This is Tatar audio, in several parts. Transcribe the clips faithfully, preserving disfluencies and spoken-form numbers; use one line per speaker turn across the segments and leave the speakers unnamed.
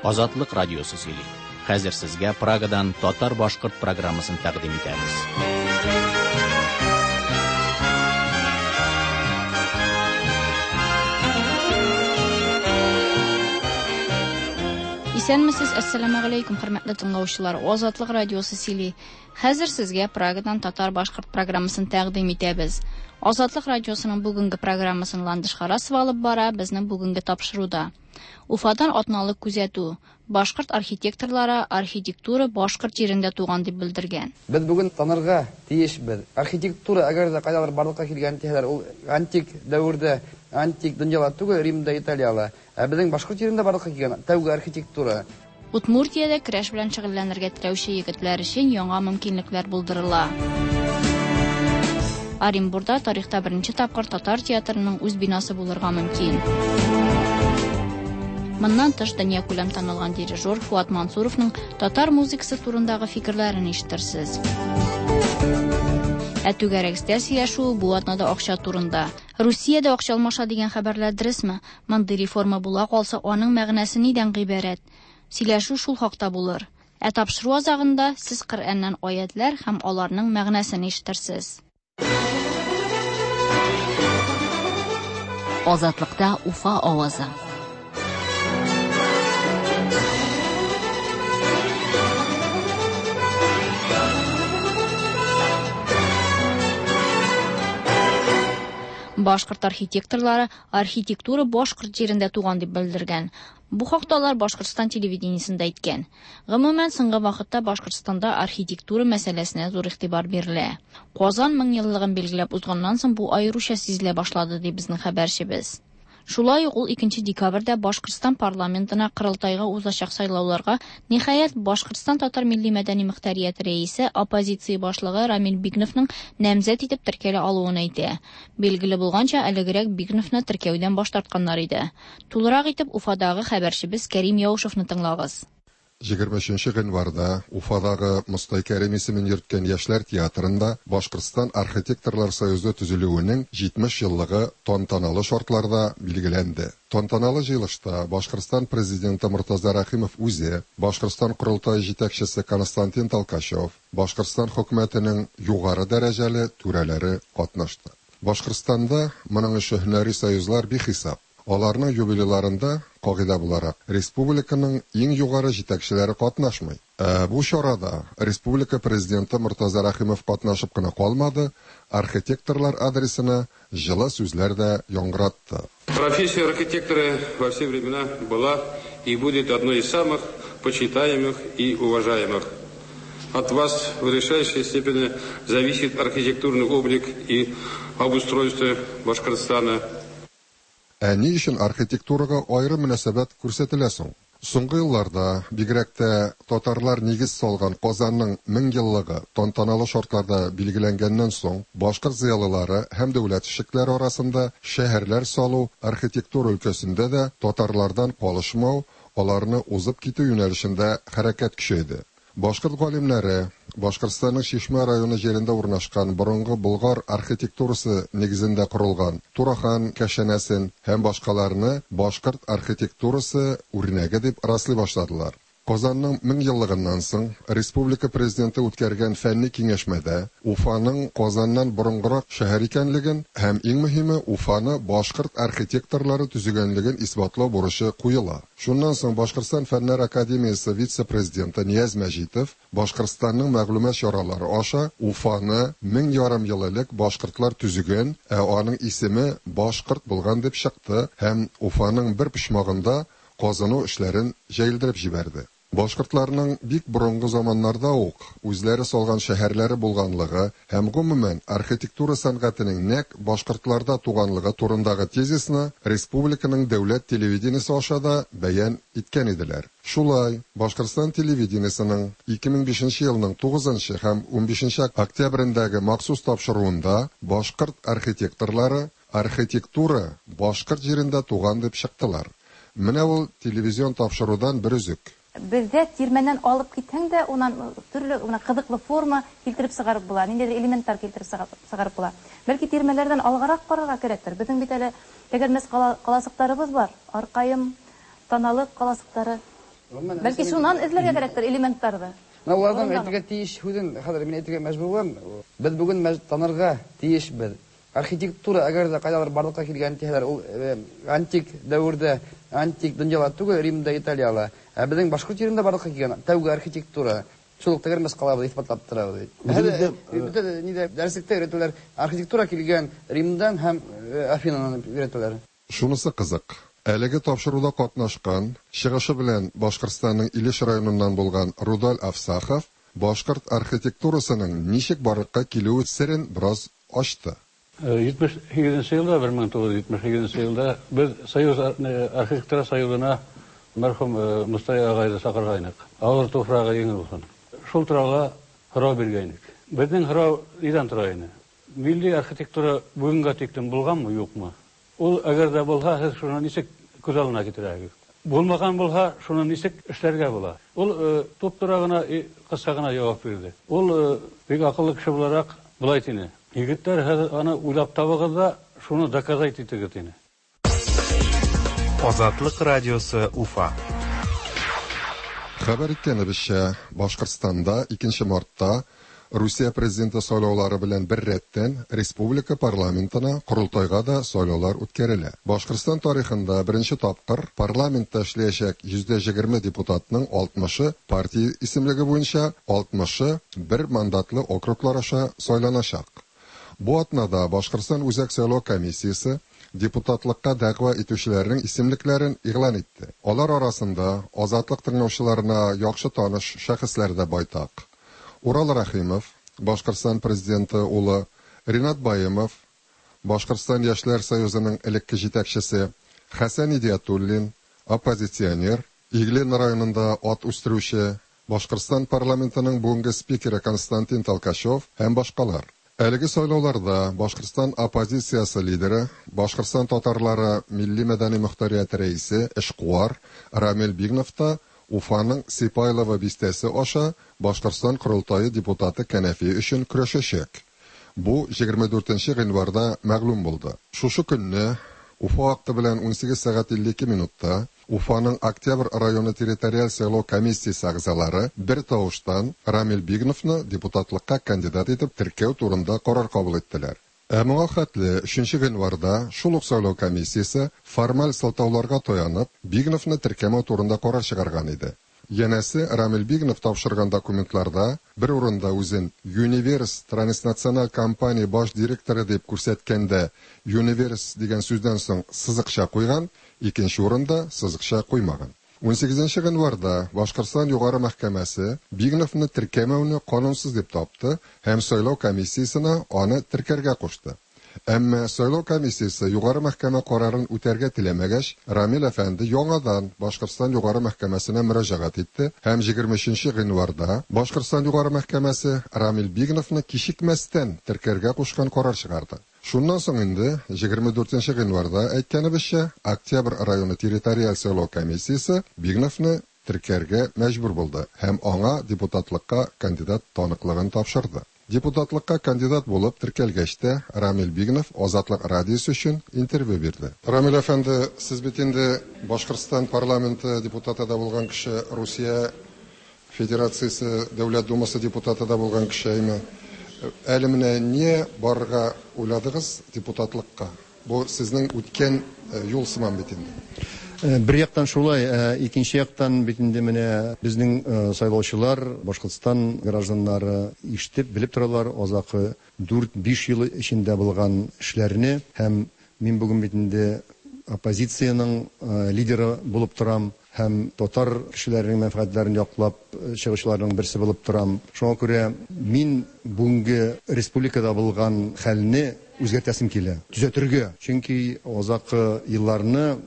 Азатлык радиосы сөйли. Хәзер сезгә Прагадан татар-башкорт программасын тәкъдим итәбез.
Исәнмесез, әссәламә галәйкүм, хөрмәтле тыңлаучылар. Азатлык радиосы сөйли. Хәзер сезгә Прагадан татар-башкорт программасын тәкъдим итәбез. Азатлык радиосының бүгенге программасын Ландыш Харасова алып бара, безнең бүгенге тапшыруда. Уфадан атналык күзәтү. Башкорт архитекторлары архитектура башкорт җирендә туган дип белдергән.
Без бүген танырга тиешбез. Архитектура әгәр дә кайдалар барлыкка килгән дисәләр, ул антик дәвердә, антик дөньяда түгел, Римда, Италияда. Ә безнең башкорт җирендә барлыкка килгән тәүге архитектура.
Удмуртиядә көрәш белән шөгыльләнергә теләүче егетләр өчен яңа мөмкинлекләр булдырыла. Оренбурда тарихта беренче тапкыр татар театрының үз бинасы булырга мөмкин. Моннан тыш дөнья күләм танылган дирижер Фуат Мансуровның татар музыкасы турындагы фикерләрен ишетерсез. Ә түгәрәк өстәл сөйләшүе бу атнада акча турында. Русиядә акча алмаша дигән хәбәрләр дөресме? Мондый реформа була калса, аның мәгънәсе нидән гыйбарәт? Сөйләшү шул хакта булыр. Ә тапшыру азагында сез Коръәннән аятлар һәм аларның мәгънәсен ишетерсез.
Азатлыкта Уфа авазы.
Башкорт архитекторлары архитектура башкорт җирендә туган дип белдергән. Бу хакта алар Башкортстан телевидениесендә әйткән. Гомумән, соңгы вакытта Башкортстанда архитектура мәсьәләсенә зур игътибар бирелә. Казан мең еллыгын билгеләп узганнан соң бу аеруча сизелә башлады, ди безнең хәбәрчебез. Шулай ук ул икенче декабрьдә Башкортстан парламентына корылтайга узачак сайлауларга ниһаять Башкортстан татар милли мәдәни мөхтәрияте рәисе, оппозиция башлыгы Рамил Бигновның намзәт итеп теркәлә алуын әйтә. Билгеле булганча, әлегрәк Бигновны теркәүдән баш тартканнар иде. Тулырак итеп Уфадагы хәбәрчебез Кәрим Яушевны тыңлагыз.
Егерме өченче гыйнварда Уфадагы Мостай Кәрим исемен йөрткән Яшьләр театрында Башкортстан архитекторлар союзы төзелүенең җитмеш еллыгы тантаналы шартларда билгеләнде. Тантаналы җыелышта Башкортстан президенты Мортаза Рәхимов үзе, Башкортстан корылтае җитәкчесе Константин Толкачев, Башкортстан хөкүмәтенең югары дәрәҗәле түрәләре катнашты. Башкортстанда моның өчен һөнәри союзлар бихисап. Аларның юбилейларында, кагыйдә буларак, республиканың иң югары җитәкчеләре катнашмый. Ә бу чарада республика президенты Мортаза Рәхимов катнашып кына калмады, архитекторлар адресына җылы сүзләр дә яңгыратты.
Профессия архитектора во все времена была и будет одной из самых почитаемых и уважаемых. От вас в решающей степени зависит архитектурный облик и обустройство Башкортостана.
Ә ни өчен архитектурага аерым мөнәсәбәт күрсәтелә соң? Соңгы елларда бигрәк тә татарлар нигез салган Казанның мең еллыгы тантаналы шартларда билгеләнгәннән соң, башкорт зыялылары һәм дәүләт эшлекләре арасында шәһәрләр салу, архитектура өлкәсендә дә татарлардан калышмау, аларны узып китү юнәлешендә хәрәкәт көчәйде. Башкорт галимнәре Башкортстанның Чишмә районы җирендә урнашкан борынгы Болгар архитектурасы нигезендә корылган Турахан кәшәнәсен һәм башкаларны башкорт архитектурасы үрнәге дип раслый башладылар. Казанның мең еллыгыннан соң республика президенты үткәргән фәнни киңәшмәдә Уфаның Казаннан борынгырак шәһәр икәнлеген һәм иң мөһиме Уфаны башкорт архитекторлары төзегәнлеген исбатлау бурычы куела. Шуннан соң Башкортстан Фәннәр академиясе вице-президенты Нияз Мәҗитов Башкортстанның мәгълүмат чаралары аша Уфаны мең ярым ел элек башкортлар төзегән, ә аның исеме башкорт булган дип чыкты һәм Уфаның бер почмагында казыну эшләрен җәелдереп җибәрде. Башкортларның бик борынгы заманнарда ук үзләре салган шәһәрләре булганлыгы һәм гомумән архитектура сәнгатенең нәкъ башкортларда туганлыгы турындагы тезисны республиканың дәүләт телевидениесе аша да бәян иткән иделәр. Шулай, Башкортстан телевидениесының ике мең бишенче елның тугызынчы һәм унбишенче октябрендәге махсус тапшыруында башкорт архитекторлары архитектура башкорт җирендә туган дип чыктылар. Менә ул телевизион тапшырудан бер өзек.
Бездә тирмәннән алып китһәң дә, унан төрле, уна кызыклы форма килтереп чыгарып була, ниндидер элементтар килтереп чыгарып була. Бәлки тирмәләрдән алгарак барырга кирәктер. Безнең бит әле тәгәрмәс каласыктарыбыз бар. Аркайым, Таналык каласыктары. Бәлки шуннан эзләргә кирәктер элементларны.
Менә уларның әйтергә тиеш һүзен хәзер мин әйтергә мәҗбүр булам. Без бүген танырга тиешбез. Архитектура әгәр дә кайдалар барлыкка килгән дисәләр, ул антик дәвердә, антик дөньяда түгел, Римда, Италияда. Ә безнең башкорт җирендә барлыкка килгән тәүге архитектура. Шул ук тәгәрмәс калабыз исбатлап торабыз. Бөтә нидә дәреслектә өйрәтәләр, архитектура килгән Римдан һәм Афинадан өйрәтәләр.
Шунысы кызык. Әлеге тапшыруда катнашкан, чыгышы белән Башкортстанның Илеш районыннан булган Рудаль Афсахов башкорт архитектурасының ничек барлыкка килүе серен бераз ачты.
җитмеш һигезенче елда, бер мең тугыз йөз җитмеш һигезенче елда без Союз архитектура союзына мәрхүм Мостай агайны чакыргайнык. Авыр туфрагы җиңел булсын. Шул турала һорау биргәйнек. Безнең һорау нидән тора иде? Милли архитектура бүгенгә тиклем булганмы, юкмы? Ул әгәр дә булһа, һез шуны ничек күз алдына китерәгез? Булмаган булһа, шуны ничек эшләргә була? Ул туп-тура гына, кыска гына җавап бирде. Ул бик акыллы кеше буларак болай диде: Егетләр, хәзер аны уйлап табыгыз да, шуны доказать итегез диде.
Азатлык радиосы Уфа.
Хәбәр иткәнебезчә, Башкортстанда икенче мартта Русия президенты сайлаулары белән бер рәттән республика парламентына корылтайга да сайлаулар үткәрелә. Башкортстан тарихында беренче тапкыр парламентта эшләячәк йөздә егерме депутатның алтмышы партия исемлеге буенча, алтмышы бер мандатлы округлар аша сайланачак. Бу атнада Башкортстан Үзәк сайлау комиссиясе депутатлыкка дәгъва итүчеләрнең исемлекләрен игълан итте. Алар арасында Азатлык тыңлаучыларына яхшы таныш шәхесләр дә байтак. Урал Рәхимов, Башкортстан президенты улы, Ринат Баемов, Башкортстан Яшьләр союзының элекке җитәкчесе, Хәсән Идиатуллин, оппозиционер, Иглин районында ат үстерүче, Башкортстан парламентының бүгенге спикеры Константин Толкачев һәм башкалар. Әлеге сайлауларда Башкортстан оппозициясе лидеры, Башкортстан татарлары милли мәдәни мөхтәрияте рәисе эшкуар Рамил Бигнов та Уфаның Сипайлово бистәсе аша Башкортстан корылтае депутаты кәнәфие өчен көрәшәчәк. Бу егерме дүртенче гыйнварда мәгълүм булды. Шушы көнне Уфа вакыты белән унсигез сәгать илле ике минутта Уфаның Октябрь районы территориаль сайлау комиссиясе әгъзалары бер тавыштан Рамил Бигновны депутатлыкка кандидат итеп теркәү турында карар кабул иттеләр. Ә моңа хәтле өченче гыйнварда шул ук сайлау комиссиясе формаль сылтауларга таянып Бигновны теркәмәү турында карар чыгарган иде. Янәсе Рамил Бигнов тапшырган документларда бер урында үзен Universe Транснациональ компания баш директоры дип күрсәткәндә Universe дигән сүздән соң сызыкча куйган, икенче урында сызыкча куймаган. Унсигезенче гыйнварда Башкортстан Югары мәхкәмәсе Бигновны теркәмәүне канунсыз дип тапты һәм сайлау комиссиясенә аны теркәргә кушты. Әмма сайлау комиссиясе Югары мәхкәмә карарын үтәргә теләмәгәч, Рамил әфәнде яңадан Башкортстан Югары мәхкәмәсенә мөрәҗәгать итте һәм егерме өченче гыйнварда Башкортстан Югары мәхкәмәсе Рамил Бигновны кичекмәстән теркәргә кушкан карар чыгарды. Шуннан соң инде егерме дүртенче гыйнварда әйткәнебезчә, Октябрь районы территориаль сайлау комиссиясе Бигновны теркәргә мәҗбүр булды һәм аңа депутатлыкка кандидат таныклыгын тапшырды. Депутатлыкка кандидат булып теркәлгәч тә Рамил Бигнов Азатлык радиосы өчен интервью бирде. Рамил әфәнде, сез бит инде Башкортстан парламенты депутаты да булган кеше, Русия Федерациясе Дәүләт Думасы депутаты да булган кеше, әйме? Әле менә не барырга уйладыгыз депутатлыкка? Бу сезнең үткән юл сыман бит инде.
Бер яктан шулай, икенче яктан бит инде менә безнең сайлаучылар, Башкортстан гражданнары ишетеп, белеп торалар азакы дүрт-биш ел эчендә булган эшләрне, һәм мин бүген бит инде оппозициянең лидеры булып торам һәм татар кешеләренең мәнфәгатьләрен яклап чыгучыларның берсе булып торам. Шуңа күрә мин бүгенге республикада булган хәлне үзгәртәсем килә, төзәтергә. Чөнки азакы елларны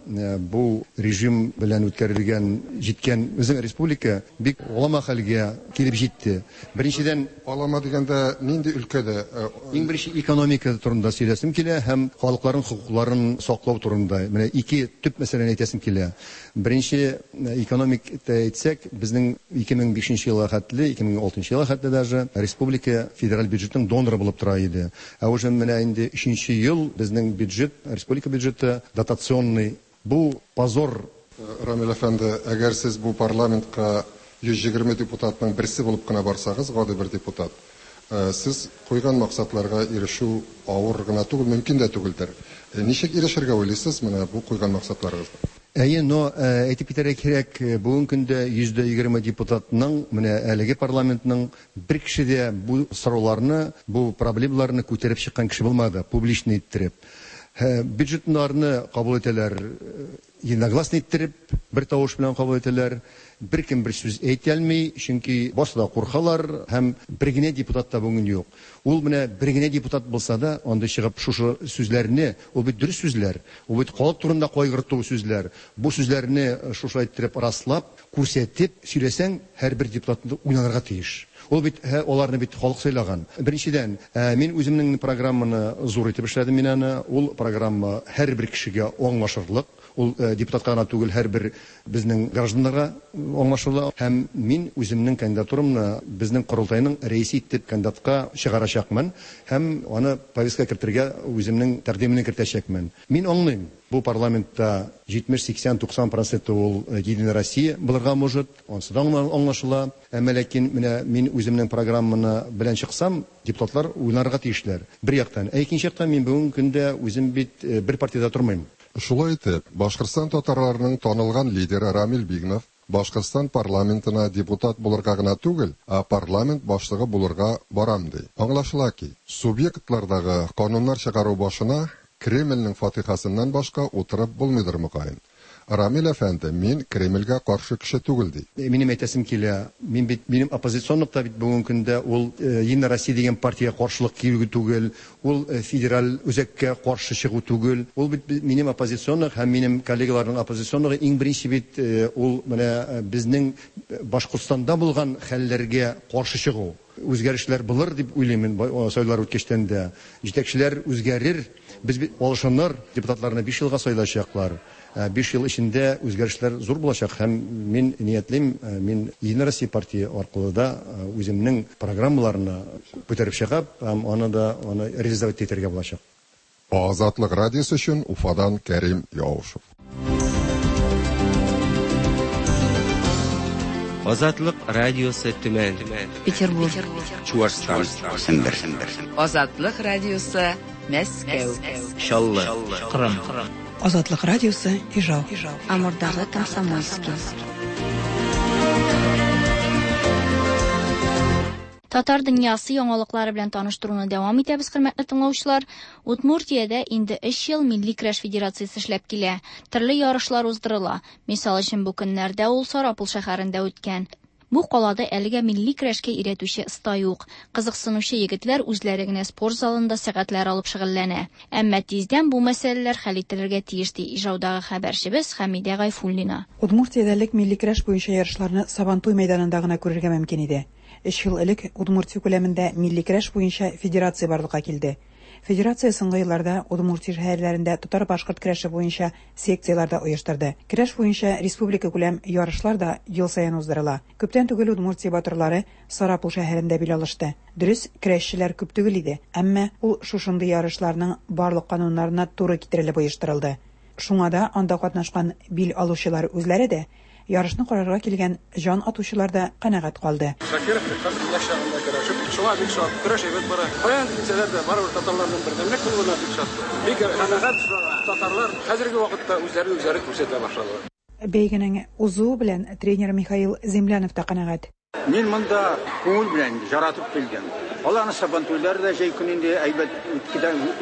бу режим белән үткәрелгән, җиткән безнең республика бик алама хәлгә килеп җитте. Беренчедән,
алама дигәндә нинди өлкәдә?
Иң беренче экономика турында сөйләсем килә һәм халыкларның хокукларын саклау турында. Менә ике төп мәсьәләне әйтәсем килә. Беренче экономик әйтсәк, безнең ике мең бишенче елга хәтле, ике мең алтынчы елга хәтле даже республика федераль бюджетның доноры булып тора иде. Ә уже менә инде өченче ел безнең бюджет, республика бюджеты дотационный. Бу позор
Рамил әфәнде, әгәр сез бу парламентка йөз егерме депутатның берсе булып кына барсагыз, гади бер депутат, сез куйган максатларга ирешү авыр гына түгел, мөмкин дә түгелдер. Ничек ирешергә уйлыйсыз менә бу куйган максатларыгызга?
Әйе, но әйтеп китәргә кирәк, бүгенге көндә йөз дә егерме депутатның, менә әлеге парламентның бер кеше дә бу сорауларны, бу проблемаларны күтәреп чыккан кеше булмады, публичный иттереп. Бюджетларны кабул итәләр, единогласно иттереп, бер тавыш белән кабул итәләр. Бер кем бер сүз әйтә алмый, чөнки башта куркалар һәм бер генә депутат та бүген юк. Ул менә бер генә депутат булса да, анда чыгып шушы сүзләрне, ул бит дөрес сүзләр, ул бит халык турында кайгырту сүзләр. Бу сүзләрне шушылай иттереп раслап, күрсәтеп сөйләсәң, һәрбер депутат уйланырга тиеш. Ул бит аларны бит халык сайлаган. Беренчедән, мин үземнең программаны зур итеп эшләдем мин аны. Ул программа һәрбер кешегә аңлашырлык. Ул депутатка гына түгел, һәрбер безнең гражданнарга аңлашыла. Һәм мин үземнең кандидатурамны безнең корылтайның рәисе итеп кандидатка чыгарачакмын һәм аны повестка кертергә үземнең тәкъдимемне кертәчәкмен. Мин аңлыйм, бу парламентта җитмеш, сиксән, туксан проценты ул Единая Россия булырга может, ансы да аңлашыла. Әмма ләкин менә мин үземнең программаны белән чыксам, депутатлар уйларга тиешләр. Бер яктан, ә икенче яктан мин бүгенге көндә үзем бит бер партиядә тормыйм.
Шулай итеп, Башкортстан татарларының танылган лидеры Рамил Бигнов Башкортстан парламентына депутат булырга гына түгел, ә парламент башлыгы булырга барам ди. Аңлашыла ки, субъектлардагы кануннар чыгару башына Кремльнең фатихасыннан башка утырып булмыйдыр мөгаен. Рамил әфәнде, мин Кремльгә каршы кеше түгел ди.
Минем әйтәсем килә, мин бит минем оппозиционлык та бит бүгенге көндә ул Единая Россия дигән партиягә каршылык килү түгел, ул федераль үзәккә каршы чыгу түгел. Ул бит минем оппозиционлык һәм минем коллегаларның оппозиционлыгы иң беренче бит ул менә безнең Башкортстанда булган хәлләргә каршы чыгу. Үзгәрешләр булыр дип уйлыйм мин сайлаулар үткәчтән дә. Җитәкчеләр үзгәрер, без бит алышыныр, депутатларны биш елга сайлаячаклар. Биш ел эчендә үзгәрешләр зур булачак һәм мин ниятлим, мин Единая Россия партия аркылы да үземнең программаларны күтәреп чыгып, һәм аны да аны реализовать итәргә булачак.
Азатлык радиосы өчен Уфадан Кәрим Яушев.
Азатлык радиосы Төмән,
Петербург,
Чуашстан, Сембер.
Азатлык радиосы Мәскәү,
Чаллы, Кырым.
Азатлык радиосы Ижау.
Амурдагы Комсомольский.
Татар дөньясы яңалыклары белән таныштыруны дәвам итәбез, хөрмәтле тыңлаучылар. Удмуртиядә инде өч ел Милли көрәш федерациясе эшләп килә. Төрле ярышлар уздырыла. Мисал өчен, бу көннәрдә ул Сарапул шәһәрендә үткән. Бу калада әлегә милли көрәшкә өйрәтүче оста юк. Кызыксынучы егетләр үзләре генә спорт залында сәгатьләр алып шөгыльләнә. Әмма тиздән бу мәсьәләләр хәл ителергә тиеш, ди Ижаудагы хәбәрчебез Хәмидә Гайфуллина.
Удмуртиядә элек милли көрәш буенча ярышларны Сабантуй мәйданында гына күрергә мөмкин иде. Өч ел элек Удмуртия күләмендә милли көрәш буенча федерация барлыкка килде. Федерация соңгы елларда Удмуртия шәһәрләрендә татар-башкорт көрәше буенча секцияләр дә оештырды. Көрәш буенча республика күләм ярышлар да ел саен уздырыла. Күптән түгел Удмуртия батырлары Сарапул шәһәрендә бил алышты. Дөрес, көрәшчеләр күп түгел иде, әмма ул шушындый ярышларның барлык кануннарына туры китерелеп оештырылды. Шуңа да анда катнашкан бил алучылар үзләре дә, ярышны карарга килгән җан атучылар да канәгать калды.
Шакиров яшь чагында көрәшеп, шуңа бик шат, көрәш әйбәт бара. Каян килсәләр дә барыбер татарларның бердәмлек булуына бик шат. Бик канәгать, татарлар хәзерге вакытта үзләрен үзләре күрсәтә башладылар.
Бәйгенең узуы белән тренер Михаил Землянов та канәгать.
Мин монда күңел белән яратып килгән. Аларның сабантуйлары да җәй көнендә әйбәт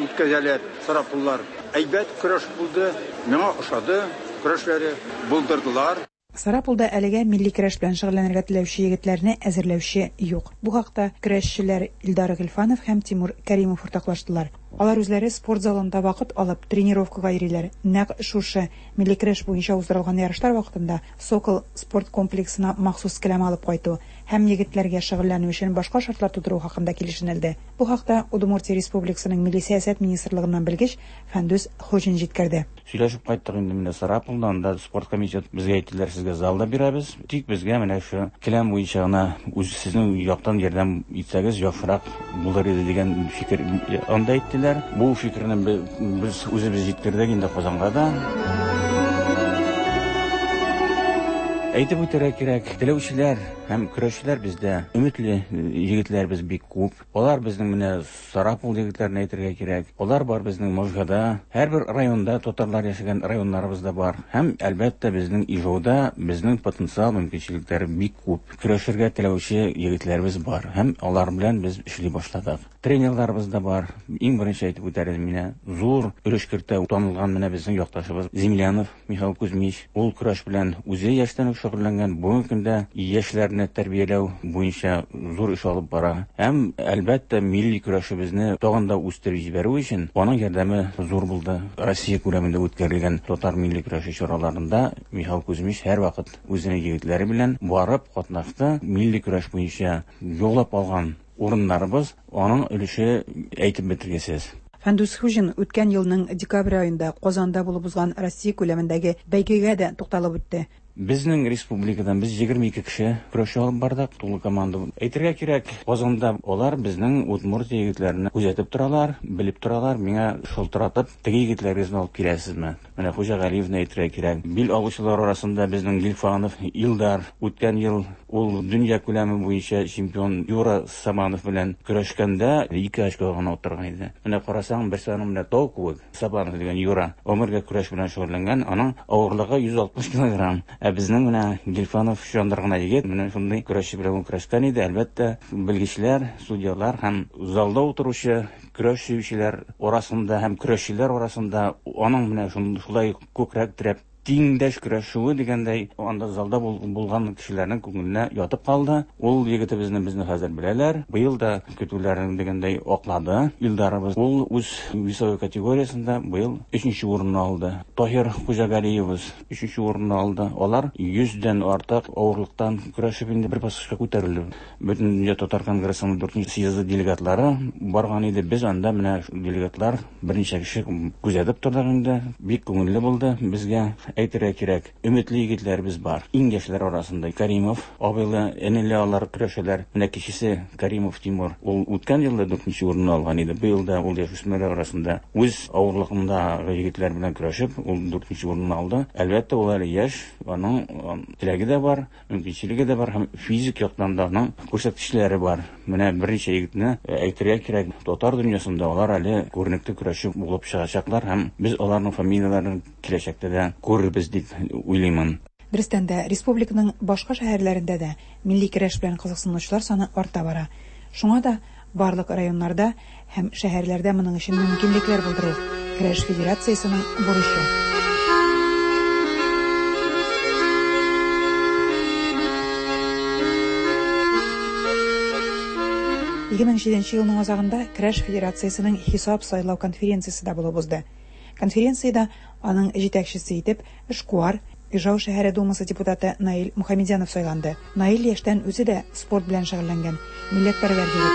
үткәзәләр, Сарапуллар. Әйбәт көрәш булды, миңа ошады, көрәшләре булдырдылар.
Сарапулда әлегә милли көрәш белән шөгыльләнергә теләүче егетләрне әзерләүче юк. Бу хакта көрәшчеләр Илдар Гыйльфанов һәм Тимур Кәримов уртаклаштылар. Алар үзләре спорт залында вакыт алып тренировкага йөриләр. Нәкъ шушы милли көрәш буенча уздырылган ярышлар вакытында Сокол спорт комплексына махсус келәм алып кайту һәм егетләргә шөгыльләнү өчен башка шартлар тудыру хакында килешенелде. Бу хакта Удмуртия Республикасының Милли сәясәт министрлыгыннан белгеч Фәндүс Хуҗин җиткерде.
Сөйләшеп кайттык инде менә Сарапулда, анда спорт комитет безгә әйттеләр, сезгә залда бирәбез. Тик безгә менә шу келәм буенча гына үз сезнең яктан ярдәм итсәгез яхшырак булыр иде дигән фикер анда әйттеләр. Бу фикерне без үзебез җиткердек инде Казанга да. Әйтеп үтәргә кирәк, теләүчеләр һәм көрәшчеләр бездә өметле егетләребез бик күп. Алар безнең менә Сарапул егетләрен әйтергә кирәк. Алар бар безнең Можгада, һәрбер районда татарлар яшәгән районнарыбыз да бар. Һәм әлбәттә безнең Ижауда безнең потенциал мөмкинчелекләре бик күп. Көрәшергә теләүче егетләребез бар һәм алар белән без эшли башладык. Тренерларыбыз да бар. Иң беренче әйтеп үтәр идем менә зур өлеш кертә танылган менә безнең якташыбыз Землянов Михаил Кузьмич. Ул көрәш белән үзе яшьтән үк шөгыльләнгән. Бүгенге көндә яшьләрне тәрбияләү буенча зур эш алып бара. Һәм әлбәттә милли көрәшебезне тагын да үстереп җибәрү өчен аның ярдәме зур булды. Россия күләмендә үткәрелгән татар милли көрәше чараларында Михаил Кузьмич һәрвакыт үзенең егетләре белән барып катнашты. Милли көрәш буенча яулап алган урыннарыбыз аның өлеше әйтеп бетергесез.
Фәндүс Хуҗин үткән елның декабрь аенда Казанда булып узган Россия күләмендәге бәйгегә дә тукталып үтте.
Безнең республикадан без егерме ике кеше көрәш алып бардык, тулы команда. Әйтергә кирәк, Казанда алар безнең Удмуртия егетләрен күзәтеп торалар, белеп торалар. Миңа шылтыратып, теге егетләрегезне алып киләсезме? Менә Хуҗа Галиевне әйтергә кирәк. Бил алучылар арасында безнең Гильфанов, Илдар үткән ел ул дөнья күләме буенча чемпион Юра Сабанов белән көрәшкәндә ике очко гына оттырган иде. Менә карасаң, берсе аның менә тау кебек, Сабанов дигән Юра гомергә көрәш белән шөгыльләнгән, аның авырлыгы йөз алтмыш килограмм. Ә безнең менә Гильфанов чандыр гына егет, менә шундый көрәшче белән көрәшкән иде. Әлбәттә, белгечләр, судьялар һәм залда утыручы көрәш сөючеләр арасында һәм көрәшчеләр арасында аның менә шулай күкрәк терәп тиңдәш көрәшүе дигәндәй, анда залда булган кешеләрнең күңеленә ятып калды. Ул егетебезне безне хәзер беләләр. Быел да көтүләрен дигәндәй аклады. Илдарыбыз ул үз весовой категориясендә быел өченче урынны алды. Таһир Хуҗагалиевыз өченче урынны алды. Алар йөздән артык авырлыктан көрәшеп инде бер баскычка күтәрелде. Бөтендөнья татар конгрессының дүртенче съезды делегатлары барган иде. Без анда менә делегатлар берничә кеше күзәтеп тордык инде. Бик күңелле булды безгә. Әйтергә кирәк, өметле егетләребез бар. Иң яшьләр арасында Каримов абыйлы, энеле алар көрәшәләр. Менә кечесе Каримов Тимур. Ул үткән елда дүртенче урынны алган иде. Быел да ул яшүсмерләр арасында үз авырлыгындагы егетләр белән көрәшеп, ул дүртенче урынны алды. Әлбәттә, ул әле яшь, аның теләге дә бар, мөмкинчелеге дә бар һәм физик яктан да аның күрсәткечләре бар. Менә берничә егетне әйтергә кирәк, татар дөньясында алар әле күренекле көрәшче булып чыгачаклар һәм без аларның фамилияләрен киләчәктә дә күрербез дип уйлыймын.
Дөрестән дә, республиканың башка шәһәрләрендә дә милли көрәш белән кызыксынучылар саны арта бара. Шуңа да барлык районнарда һәм шәһәрләрдә моның өчен мөмкинлекләр булдыру Көрәш федерациясенең бурычы. ике мең җиденче елның азагында Көрәш федерациясенең хисап сайлау конференциясе дә булып узды. Конференциядә аның җитәкчесе итеп эшкуар, Ижау шәһәре думасы депутаты Наил Мухамедянов сайланды. Наил яшьтән үзе дә спорт белән шөгыльләнгән, милләтпәрвәр егет.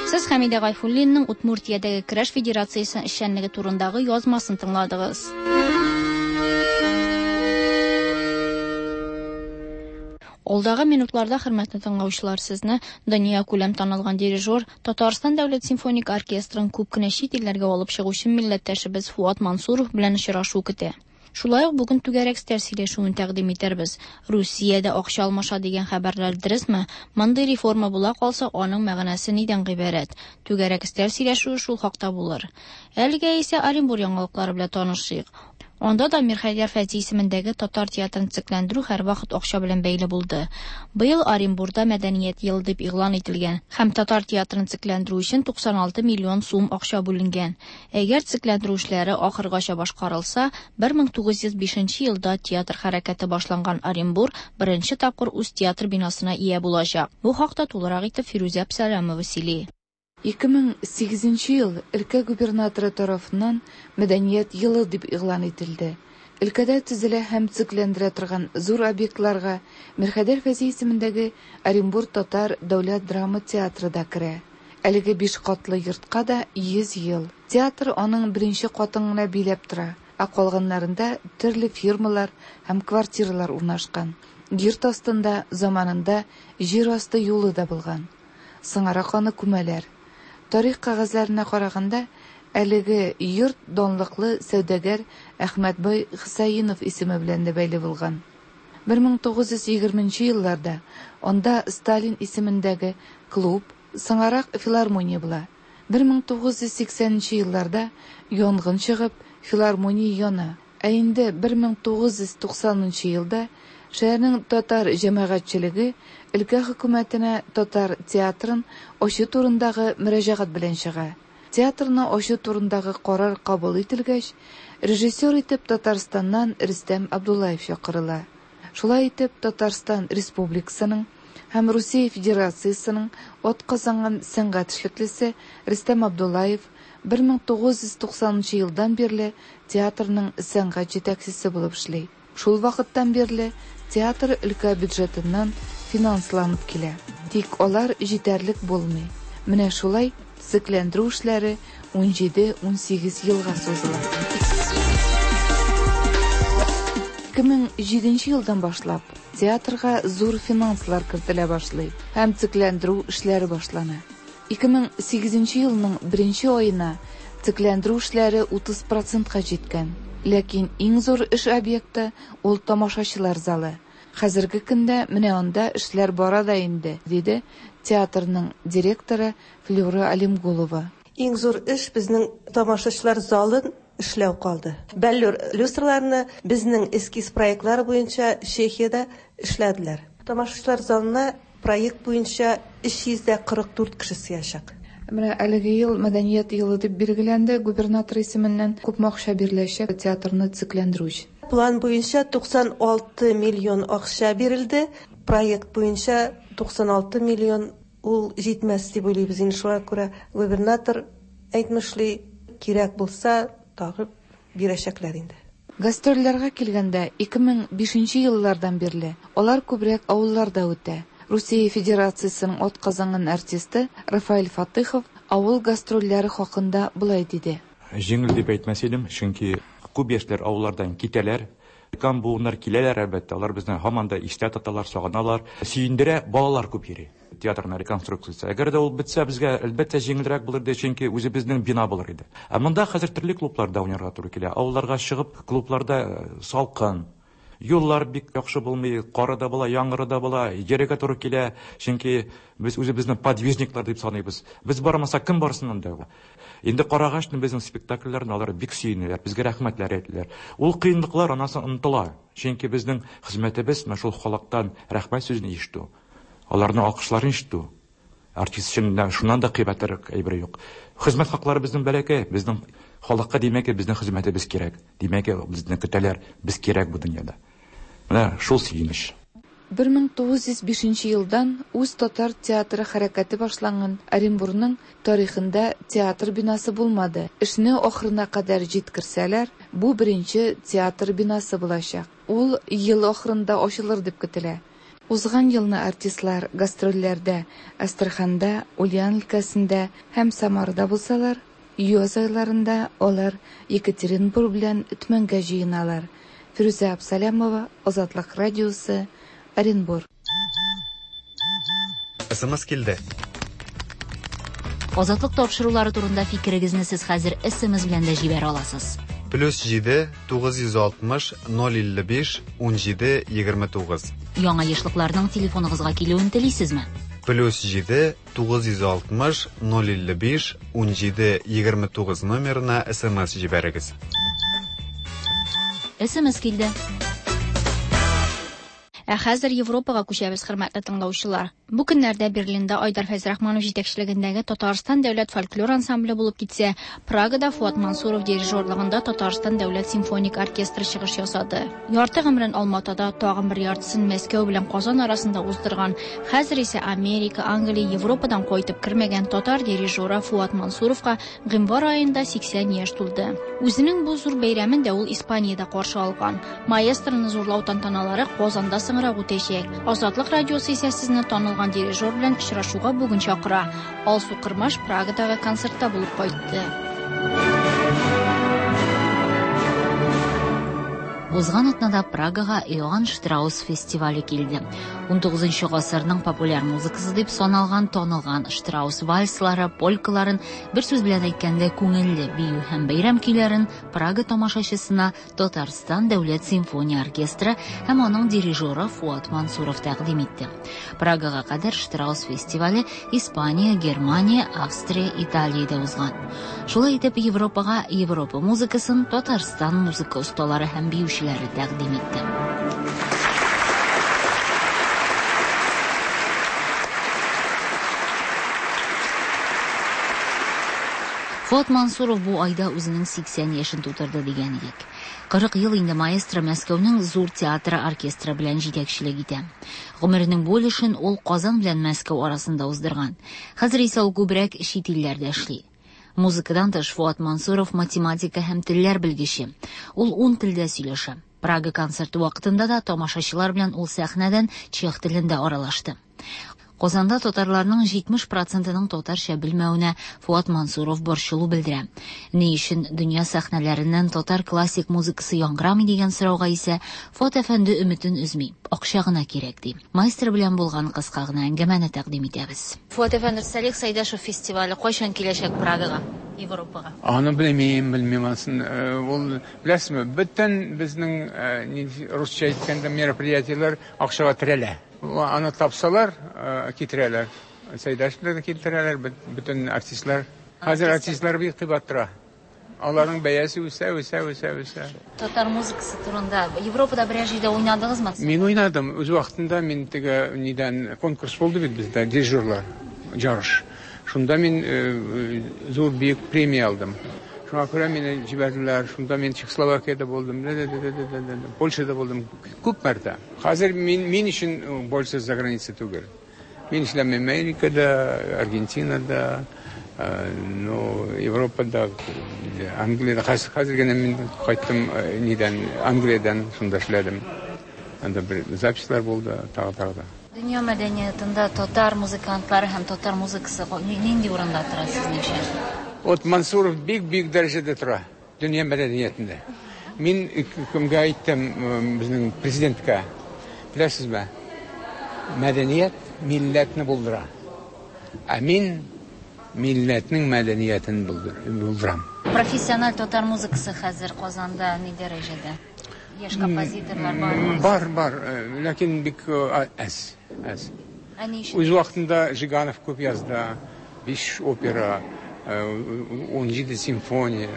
Сез Хәмидә Гайфуллинның Удмуртиядәге Көрәш федерациясе эшчәнлеге турындагы язмасын тыңладыгыз. Алдагы минутларда, хөрмәтле тыңлаучылар, сезне дөнья күләм танылган дирижер, Татарстан дәүләт симфоник оркестрын күп кенә чит илләргә алып чыгучы милләттәшебез Фуат Мансуров белән очрашу көтә. Шулай ук бүген түгәрәк өстәл сөйләшүен тәкъдим итәрбез. Русиядә акча алмаша дигән хәбәрләр дөресме? Мондый реформа була калса, аның мәгънәсе нидән гыйбарәт? Түгәрәк өстәл сөйләшүе шул хакта булыр. Әлегә исә Оренбур яңалыклары белән танышыйк. Анда да Мирхәйдәр Фәйзи исемендәге татар театрын төзекләндерү һәрвакыт акча белән бәйле булды. Быел Оренбурда мәдәният елы дип игълан ителгән һәм татар театрын төзекләндерү өчен туксан алты миллион сум акча бүленгән. Әгәр төзекләндерү эшләре ахыргача башкарылса, бер мең тугыз йөз бишенче елда театр хәрәкәте башланган Оренбур беренче тапкыр үз театр бинасына ия булачак. Бу хакта тулырак итеп Фирүзә Абсалямова сөйли.
ике мең сигезенче ел өлкә губернаторы тарафыннан мәдәният елы дип игълан ителде. Өлкәдә төзелә һәм төзекләндерә торган зур объектларга Мирхәйдәр Фәйзи исемендәге Оренбур татар дәүләт драма театры да керә. Әлеге биш катлы йортка да йөз ел. Театр аның беренче катын гына биләп тора, ә калганнарында төрле фирмалар һәм квартиралар урнашкан. Йорт астында заманында җир асты юлы да булган. Сыңарак аны күмәләр. Тарих кәгазьләренә караганда, Әлеге йорт данлыклы сәүдәгәр Әхмәтбай Хусаинов исеме белән дә бәйле булган. бер мең тугыз йөз егерменче елларда анда Сталин исемендәге клуб, соңарак филармония була. бер мең тугыз йөз сиксәненче елларда янгын чыгып, филармония яна. Ә инде бер мең тугыз йөз туксанынчы елда шәһәрнең татар җәмәгатьчелеге өлкә хөкүмәтенә татар театрын ачу турындагы мөрәҗәгать белән чыга. Театрны ачу турындагы карар кабул ителгәч, режиссер итеп Татарстаннан Рөстәм Абдуллаев чакырыла. Шулай итеп, Татарстан Республикасының һәм Русия Федерациясенең атказанган сәнгать эшлеклесе Рөстәм Абдуллаев бер мең тугыз йөз туксанынчы елдан бирле театрның сәнгать җитәкчесе булып эшли. Шул вакыттан бирле театр өлкә бюджетыннан финансланып килә. Тик алар җитәрлек булмый. Менә шулай төзекләндерү эшләре ун җиде-ун сигез елга сузыла. ике мең җиденче елдан башлап театрга зур финанслар кертелә башлый һәм төзекләндерү эшләре башлана. ике мең сигезенче елның беренче аена төзекләндерү эшләре утыз процентка җиткән. Ләкин иң зур эш объекты ул тамашачылар залы. Хәзерге көндә менә анда эшләр бара да инде, диде театрның директоры Флюра Алимгулова.
Иң зур эш безнең тамашачылар залын эшләү калды. Бәллүр люстраларны безнең эскиз проектлары буенча Чехиядә эшләделәр. Тамашачылар залына проект буенча өч йөз дә кырык дүрт кеше сыячак.
Менә әлеге ел мәдәният елы дип билгеләнде. Губернатор исеменнән күпме акча биреләчәк театрны төзекләндерү өчен?
План буенча туксан алты миллион акча бирелде. Проект буенча туксан алты миллион ул җитмәс дип уйлыйбыз. Инде шуңа күрә губернатор әйтмешли, кирәк булса тагы бирәчәкләр инде.
Гастрольләргә килгәндә ике мең бишенче еллардан бирле алар күбрәк авылларда үтә. Русия Федерациясенең атказанган артисты Рафаэль Фатыхов авыл гастрольләре хакында болай диде.
Җиңел дип әйтмәс идем, чөнки күп яшьләр авыллардан китәләр. Өлкән буыннар киләләр, әлбәттә, алар безне һаман да истә тоталар, сагыналар. Сөендерә, балалар күп йөри. Театрның реконструкциясе. Әгәр дә ул бетсә, безгә әлбәттә җиңелрәк булыр иде, чөнки үзебезнең бина булыр иде. Ә монда хәзер төрле клубларда уйнарга туры килә. Авылларга чыгып, клубларда салкын, юллар бик яхшы булмый, кары да була, яңгыры да була, йөрергә туры килә, чөнки без үзебезне подвижниклар дип саныйбыз. Без бармасак, кем барсын анда? Инде карагач, безнең спектакльләрне алар бик сөенәләр, безгә рәхмәтләр әйтәләр. Ул кыенлыклар анасы онытыла, чөнки безнең хезмәтебез менә шул халыктан рәхмәт сүзен ишетү, аларның алкышларын ишетү. Артист өчен шуннан да кыйбатрак әйбер юк. Хезмәт хаклары безнең бәләкәй, безнең халыкка димәк, безнең хезмәтебез кирәк. Димәк, безне көтәләр, без кирәк бу дөньяда. Менә шул сөенеч.
бер мең тугыз йөз бишенче елдан үз татар театры хәрәкәте башланган Оренбургның тарихында театр бинасы булмады. Эшне ахырына кадәр җиткерсәләр, бу беренче театр бинасы булачак. Ул ел ахырында ачылыр дип көтелә. Узган елны артистлар гастрольләрдә Астраханда, Ульян өлкәсендә һәм Самарада булсалар, яз айларында алар Екатеринбург белән Төмәнгә җыеналар. Фирүзә Абсалямова, Азатлык радиосы, Оренбург.
СМС килде.
Азатлык тапшырулары турында фикерегезне сез хәзер СМС белән дә җибәрә аласыз.
Плюс җиде тугыз йөз алтмыш ноль илле биш ун җиде егерме тугыз.
Яңа ешлыкларның телефоныгызга килүен телисезме?
Плюс җиде тугыз йөз алтмыш ноль илле биш ун җиде егерме тугыз номерына СМС җибәрегез.
СМС килде. Ә хәзер Европага күчәбез, хөрмәтле тыңлаучылар. Бу көннәрдә Берлинда Айдар Фәйзрахманов җитәкчелегендәге Татарстан дәүләт фольклор ансамбле булып китсә, Прагада Фуат Мансуров дирижерлыгында Татарстан дәүләт симфоник оркестры чыгыш ясады. Ярты гомерен Алматада, тагын бер яртысын Мәскәү белән Казан арасында уздырган, хәзер исә Америка, Англия, Европадан кайтып кермәгән татар дирижеры Фуат Мансуровка гыйнвар аенда сиксән яшь тулды. Үзенең бу зур бәйрәмен дә ул Испаниядә каршы алган. Маэстроны зурлау тантаналары Казанда соңрак үтәчәк. Азатлык радиосы исә сезне танылган дирижер белән очрашуга бүген чакыра. Алсу Кырмаш Прагадагы концертта булып кайтты.
Узган атнада Прагага Иоанн Штраус фестивале килде. Унтугызынчы гасырның популяр музыкасы дип саналган танылган Штраус вальслары, полькаларын, бер сүз белән әйткәндә, күңелле бию һәм бәйрәм көйләрен Прага тамашачысына Татарстан дәүләт симфония оркестры һәм аның дирижеры Фуат Мансуров тәкъдим итте. Прагага кадәр Штраус фестивале Испания, Германия, Австрия, Италиядә узган. Шулай итеп, Европага Европа музыкасын Татарстан музыка осталары һәм биючеләре тәкъдим итте. Фуат Мансуров бу айда үзенең сиксән яшен тутырды дигән идек. Кырык ел инде маэстро Мәскәүнең зур театры оркестры белән җитәкчелек итә. Гомеренең бу өлешен ул Казан белән Мәскәү арасында уздырган. Хәзер исә ул күбрәк чит илләрдә эшли. Музыкадан тыш Фуат Мансуров математика һәм телләр белгече. Ул ун телдә сөйләшә. Прага концерты вакытында да тамашачылар белән ул сәхнәдән чех телендә аралашты. Казанда татарларның җитмеш процентының татарча белмәвенә Фуат Мансуров борчылу белдерә. Ни өчен дөнья сәхнәләреннән татар классик музыкасы яңгырамый дигән сорауга исә Фуат әфәнде өметен өзми. Акча гына кирәк ди. Маэстро белән булган кыска гына әңгәмәне тәкъдим итәбез. Фуат әфәнде, Салих Сайдашев фестивале кайчан киләчәк Прагага, Европага?
Аны белмим, белмим анысын. Ул, беләсезме, бөтен безнең русча әйткәндә мероприятиеләр акчага терәлә. Аны тапсалар, китерәләр. Сайдашевлар да китерәләр, бөтен артистлар. Хәзер артистлар бик кыйбат тора. Аларның бәясе үсә, үсә, үсә, үсә.
Татар музыкасы турында Европада берәр җирдә уйнадыгызмы?
Мин уйнадым. Үз вакытында мин теге нидән конкурс булды бит бездә, дирижерлар, ярыш. Шунда мин зур бөек премия алдым. Шуңа күрә мине җибәрделәр. Шунда мин Чехословакиядә булдым, Польшада булдым күп мәртә. Хәзер мин, мин өчен больше за граница түгел. Мин эшләм Америкада, Аргентинада, ну, Европада, Англияда. Хәзер генә мин кайттым нидән, Англиядән, шунда эшләдем. Анда бер записьлар булды, тагы тагы да.
Дөнья мәдәниятында татар музыкантлары һәм татар музыкасы нинди урында тора сезнеңчә?
Вот Мансуров бик-бик дәрәҗәдә тора дөнья мәдәниятендә. Мин кемгә әйттем, безнең президентка, беләсезме, мәдәният милләтне булдыра. Ә мин милләтнең мәдәниятен булдырам.
Профессиональ татар музыкасы хәзер Казанда ни дәрәҗәдә? Яшь композиторлар бармы?
Бар, бар, ләкин бик әз, әз. Үз вакытында Жиганов күп язды, биш опера, ун җиде симфония.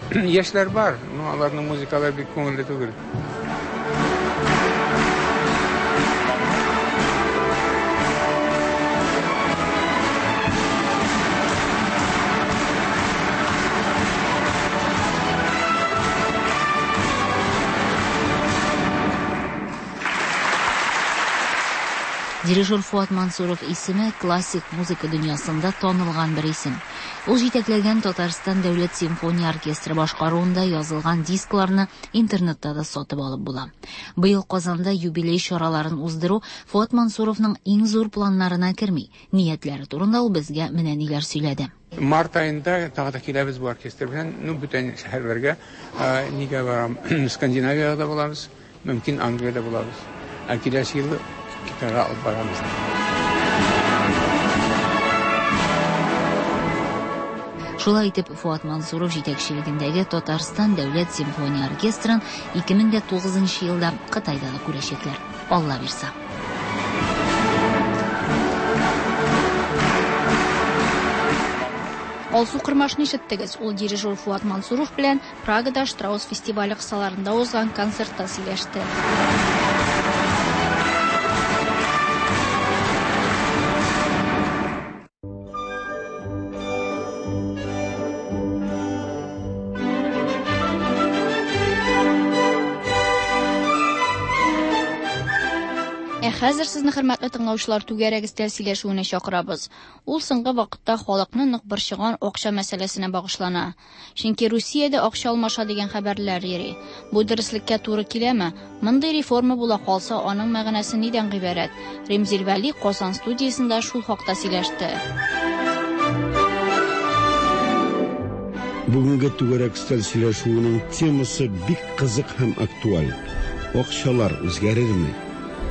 Яшьләр бар, но аларның музыкалары бик күңелле түгел.
Дирижер Фуат Мансуров исеме классик музыка дөньясында танылган бер исем. Ул җитәкләгән Татарстан дәүләт симфония оркестры башкаруында язылган дискларны интернетта да сатып алып була. Быел Казанда юбилей чараларын уздыру Фуат Мансуровның иң зур планнарына керми. Ниятләре турында ул безгә менә ниләр сөйләде.
Март айында тагы да киләбез бу оркестр белән, ну, бүтән шәһәрләргә, нигә барам, Скандинавиядә булабыз, мөмкин Англиядә булабыз. Ә киләсе елны Китайга алып барабыз.
Шулай итеп, Фуат Мансуров җитәкчелегендәге Татарстан дәүләт симфония оркестрын ике мең дә тугызынчы елда Кытайда да күрәчәкләр. Алла бирса.
Алсу Кырмашны ишеттегез. Ул дирижер Фуат Мансуров белән Прагада Штраус фестивале кысаларында узган концертта сөйләште. Хәзер сезне хөрмәтле тыңлаучылар түгәрәк өстәл сөйләшүенә чакырабыз. Ул соңгы вакытта халыкны нык борчыган акча мәсьәләсенә багышлана. Чөнки Русиядә акча алмаша дигән хәбәрләр йөри. Бу дөреслеккә туры киләме? Мондый реформа була калса, аның мәгънәсе нидән гыйбарәт? Ремзил Вәли Казан студиясендә шул хакта сөйләште.
Бүгенге түгәрәк өстәл сөйләшүенең темасы бик кызык һәм актуаль. Акчалар үзгәрерме?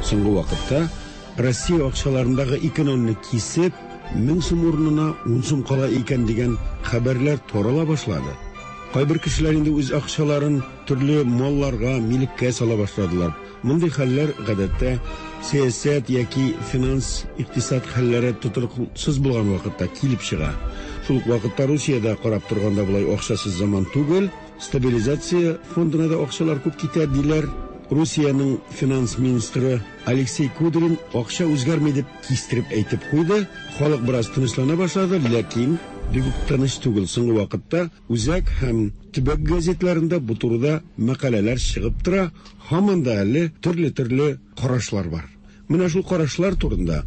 Соңгы вакытта Россия акчаларындагы ике нольне кисеп, мең сум урынына ун сум кала икән дигән хәбәрләр тарала башлады. Кайбер кешеләр инде үз акчаларын төрле малларга, милеккә сала башладылар. Мондый хәлләр гадәттә сәясәт яки финанс, икътисад хәлләре тотрыксыз булган вакытта килеп чыга. Шул ук вакытта Русиядә карап торганда болай акчасыз заман түгел, стабилизация фондына да акчалар күп китә диләр. Русиянең финанс министры Алексей Кудрин акча үзгәрми дип кистереп әйтеп куйды. Халык бераз тынычлана башлады, ләкин бик үк тыныч түгел. Соңгы вакытта үзәк һәм төбәк газетларында бу турыда мәкаләләр чыгып тора. Һаман да әле төрле-төрле карашлар бар. Менә шул карашлар турында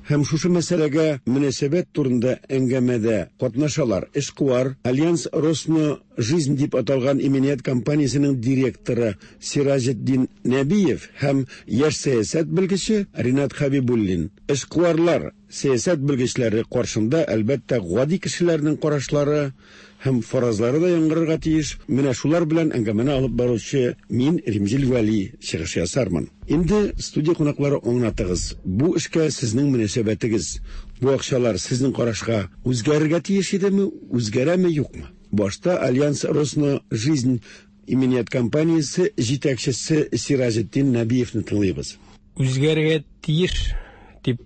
һәм шушы мәсьәләгә мөнәсәбәт турында әңгәмәдә катнашалар. Эшкуар Альянс Росно Жизнь дип аталган иминият компаниясенең директоры Сираҗетдин Нәбиев һәм яшь сәясәт белгече Ринат Хабибуллин. Эшкуарлар, сәясәт белгечләре каршында әлбәттә гади кешеләрнең карашлары һәм фаразлары да яңгырарга тиеш. Менә шулар белән әңгәмәне алып баручы мин, Римзил Вәли, чыгыш ясармын. Инде студия кунаклары, аңлатыгыз, бу эшкә сезнең мөнәсәбәтегез, бу акчалар сезнең карашка үзгәрергә тиеш идеме, үзгәрәме, юкмы? Башта Альянс Росно Жизнь иминият компаниясе җитәкчесе Сираҗетдин Нәбиевны тыңлыйбыз.
Үзгәрергә тиеш дип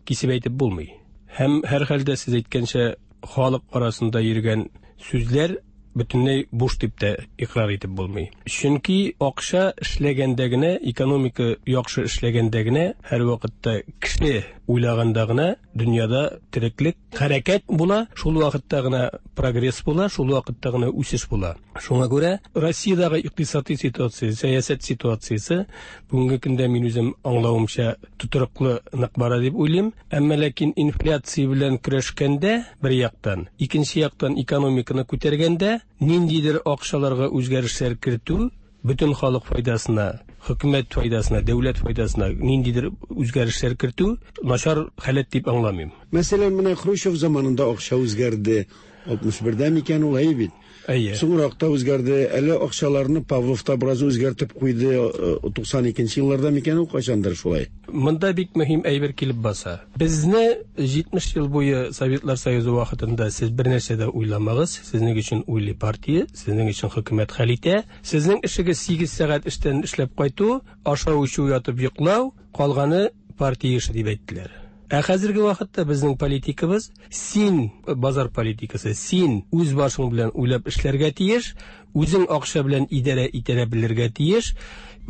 кисеп әйтеп булмый. Һәм һәр хәлдә сез әйткәнчә халык арасында йөргән сүзләр бөтенләй буш дип тә икърар итеп булмый. Чөнки акча эшләгәндә генә, экономика яхшы эшләгәндә генә, һәр вакытта кеше уйлаганда гына дөньяда тереклек, хәрәкәт була, шул вакытта гына прогресс була, шул вакытта гына үсеш була. Шуңа күрә Россиядәге икътисади ситуация, сәясәт ситуациясе бүгенге көндә мин үзем аңлавымча тотрыклы нык бара дип уйлыйм. Әмма ләкин инфляция белән көрәшкәндә бер яктан, икенче яктан экономиканы күтәргәндә ниндидер акчаларга үзгәрешләр кертү бөтен халык файдасына, хөкүмәт файдасына, дәүләт файдасына ниндидер үзгәрешләр кертү начар халәт дип аңламыйм.
Мәсәлән, менә Хрущев заманында акча үзгәрде. алтмыш бердә микән ул, әйе бит?
Әйе.
Соңрак та үзгәрде. Әле акчаларны Павлов та бераз үзгәртеп куйды. туксан икенче елларда микән ул, кайчандыр шулай.
Монда бик мөһим әйбер килеп баса. Безне җитмеш ел буе Советлар Союзы вакытында сез бер нәрсә дә уйламагыз, сезнең өчен уйлый партия, сезнең өчен хөкүмәт хәл итә. Сезнең эшегез сигез сәгать эштән эшләп кайту, ашау, эчү, ятып йоклау, калганы партия эше дип әйттеләр. Ә хәзерге вакытта безнең политикабыз, син базар политикасы, син үз башың белән уйлап эшләргә тиеш, үзең акча белән идарә итә белергә тиеш,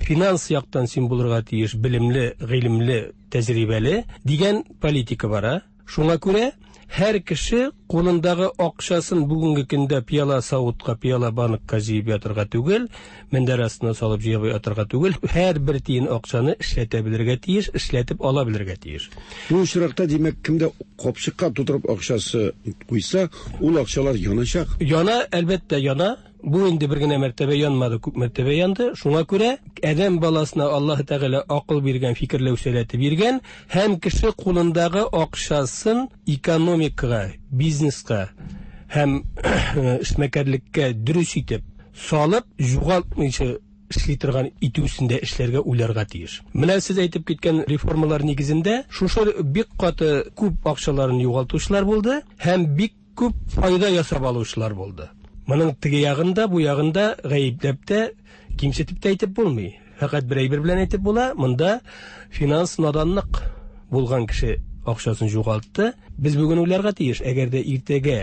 финанс яктан син булырга тиеш, белемле, гыйлемле, тәҗрибәле дигән политика бара. Шуңа күрә һәр кеше кулындагы акчасын бүгенге көндә пыяла савытка, пыяла банкка җыеп ятырга түгел, мендәр астына салып җыеп ятырга түгел, һәр бер тиен акчаны эшләтә белергә тиеш, эшләтеп ала белергә тиеш.
Бу очракта, димәк, кемдә капчыкка тутырып акчасы куйса, ул акчалар яначак.
Яна, әлбәттә, яна. Бу инде бер генә мәртәбә янмады, күп мәртәбә янды. Шуңа күрә адәм баласына Аллаһ Тәгалә акыл биргән, фикерләү сәләте биргән һәм кеше кулындагы акчасын экономикага, бизнеска һәм эшмәкәрлеккә дөрес итеп салып, югалтмыйча эшли торган итүсендә эшләргә уйларга тиеш. Менә сез әйтеп киткән реформалар нигезендә шушы бик каты күп акчаларын югалтучылар булды һәм бик күп файда ясап алучылар булды. Моның теге ягында, бу ягында гаепләп тә, кимсетеп тә әйтеп булмый. Фәкать бер әйбер белән әйтеп була, монда финанс наданлык булган кеше акчасын югалтты. Без бүген уйларга тиеш, әгәр дә иртәгә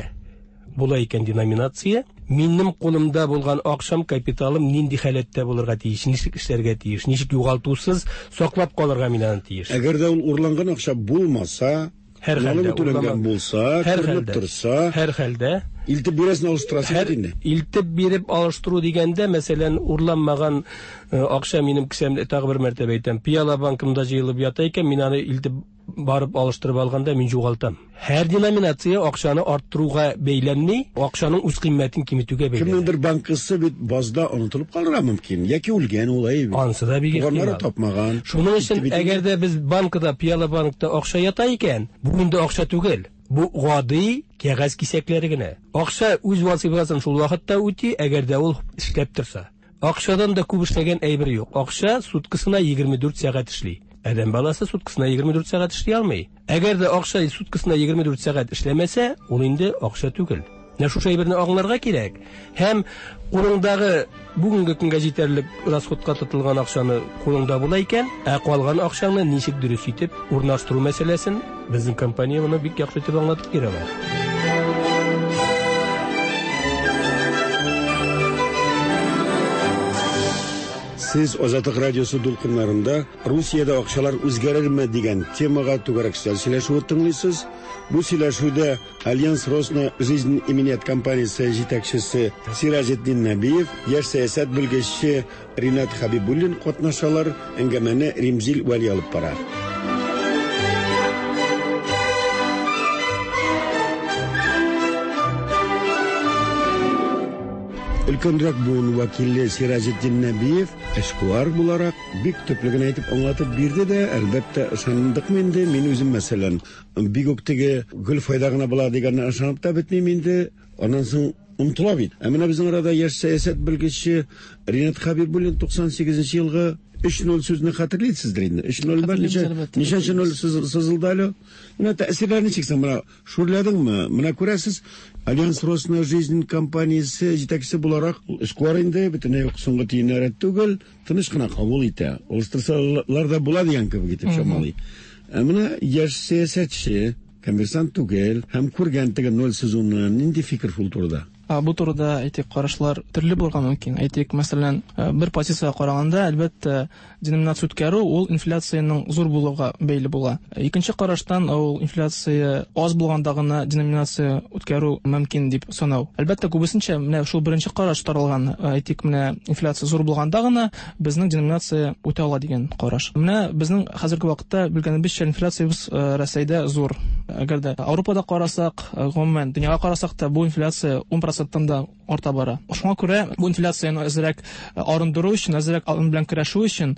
була икән деноминация, минем кулымда булган акчам, капиталым нинди халәттә булырга тиеш, ничек эшләргә тиеш, ничек югалтусыз саклап калырга мин аны тиеш.
Әгәр дә ул урланган акча булмаса,
һәр хәлдә
түләнгән булса, күренеп торса,
һәр хәлдә
илтеп бирәсен алыштырасың бит инде.
Илтеп биреп алыштыру дигәндә, мәсәлән, урланмаган акча минем кесәмдә, тагы бер мәртәбә әйтәм, пыяла банкымда җыелып ята икән, мин аны илтеп барып алыштырып алганда мин югалтам. Һәр деноминация акчаны арттыруга бәйләнми, акчаның үз кыйммәтен киметүгә бәйләнә.
Кемнеңдер банкысы бит базда онытылып калырга мөмкин, яки үлгән ул әйбер.
Ансы да бик
ихтимал. Туганнары тапмаган.
Шуның өчен әгәр дә без банкада, пыяла банкта акча ята икән, бу инде акча түгел. Бу гади кәгазь кисәкләре генә. Акча үз вазифасын шул вакытта үти, әгәр дә ул эшләп торса. Акчадан да күп эшләгән әйбер юк. Акча суткасына егерме дүрт сәгать эшли. Адәм баласы суткасына егерме дүрт сәгать эшли алмый. Әгәр дә акча суткасына егерме дүрт сәгать эшләмәсә, ул инде акча түгел. Менә шушы әйберне аңларга кирәк. Һәм кулыңдагы бүгенге көнгә җитәрлек расходка тотылган акчаны кулыңда була икән, ә калган акчаңны ничек дөрес итеп урнаштыру мәсьәләсен безнең компания моны бик яхшы итеп аңлатып бирә ала.
Сез Азатлык радиосы дулкыннарында Русиядә акчалар үзгәрерме дигән темага түгәрәк өстәл сөйләшүе тыңлыйсыз. Бу сөйләшүдә Альянс Росна Жизнь иминият компаниясе җитәкчесе Сираҗетдин Нәбиев, яшь сәясәт белгече Ринат Хабибуллин катнашалар. Әңгәмәне Римзил Вәли алып бара. Өлкәнрәк буын вәкиле Сираҗетдин Нәбиев эшкуар буларак бик төпле генә әйтеп аңлатып бирде дә, әлбәттә, ышандыкмы инде? Мин үзем, мәсәлән, бик үк теге гөл файда гына була дигәнне ышанып та бетмим инде. Аннан соң онытыла бит. Ә менә безнең арада яшь сәясәт белгече Ринат Хабибуллин туксан сигезенче елгы өч ноль сүзне хәтерлисездер инде. Өч ноль бар, ничә, ничәнче ноль сызылды әле? Менә тәэсирләр ничек соң? Менә шүрләдеңме? Менә күрәсез, Альянс Росна Жизнь компаниясе җитәкчесе буларак эшкуар инде, бөтенләй үк соңгы тиеннәр түгел, тыныч кына кабул итә. Алыштырсалар да була дигән кебек итеп чамалый. Ә менә яшь сәясәтче, коммерсант түгел, һәм күргән теге ноль сызуны, нинди фикер шул турыда?
Бу турыда, әйтик, карашлар төрле булырга мөмкин. Әйтик, мәсәлән, бер позициягә караганда, әлбәттә, деноминация үткәрү ул инфляциянең зур булуга бәйле була. Икенче караштан, ул инфляция аз булганда гына деноминация үткәрү мөмкин дип санау. Әлбәттә, күбесенчә менә шул беренче караш таралган. Әйтик, менә инфляция зур булганда гына безнең деноминация үтә ала дигән караш. Менә безнең хәзерге вакытта белгәнебезчә, инфляциябез Рәсәйдә зур. Әгәр дә Ауропада карасак, гомумән дөньяга карасак та, бу инфляция ун проценттан да арта бара. Шуңа күрә бу инфляцияне әзрәк арындыру өчен, әзрәк аның белән көрәшү өчен,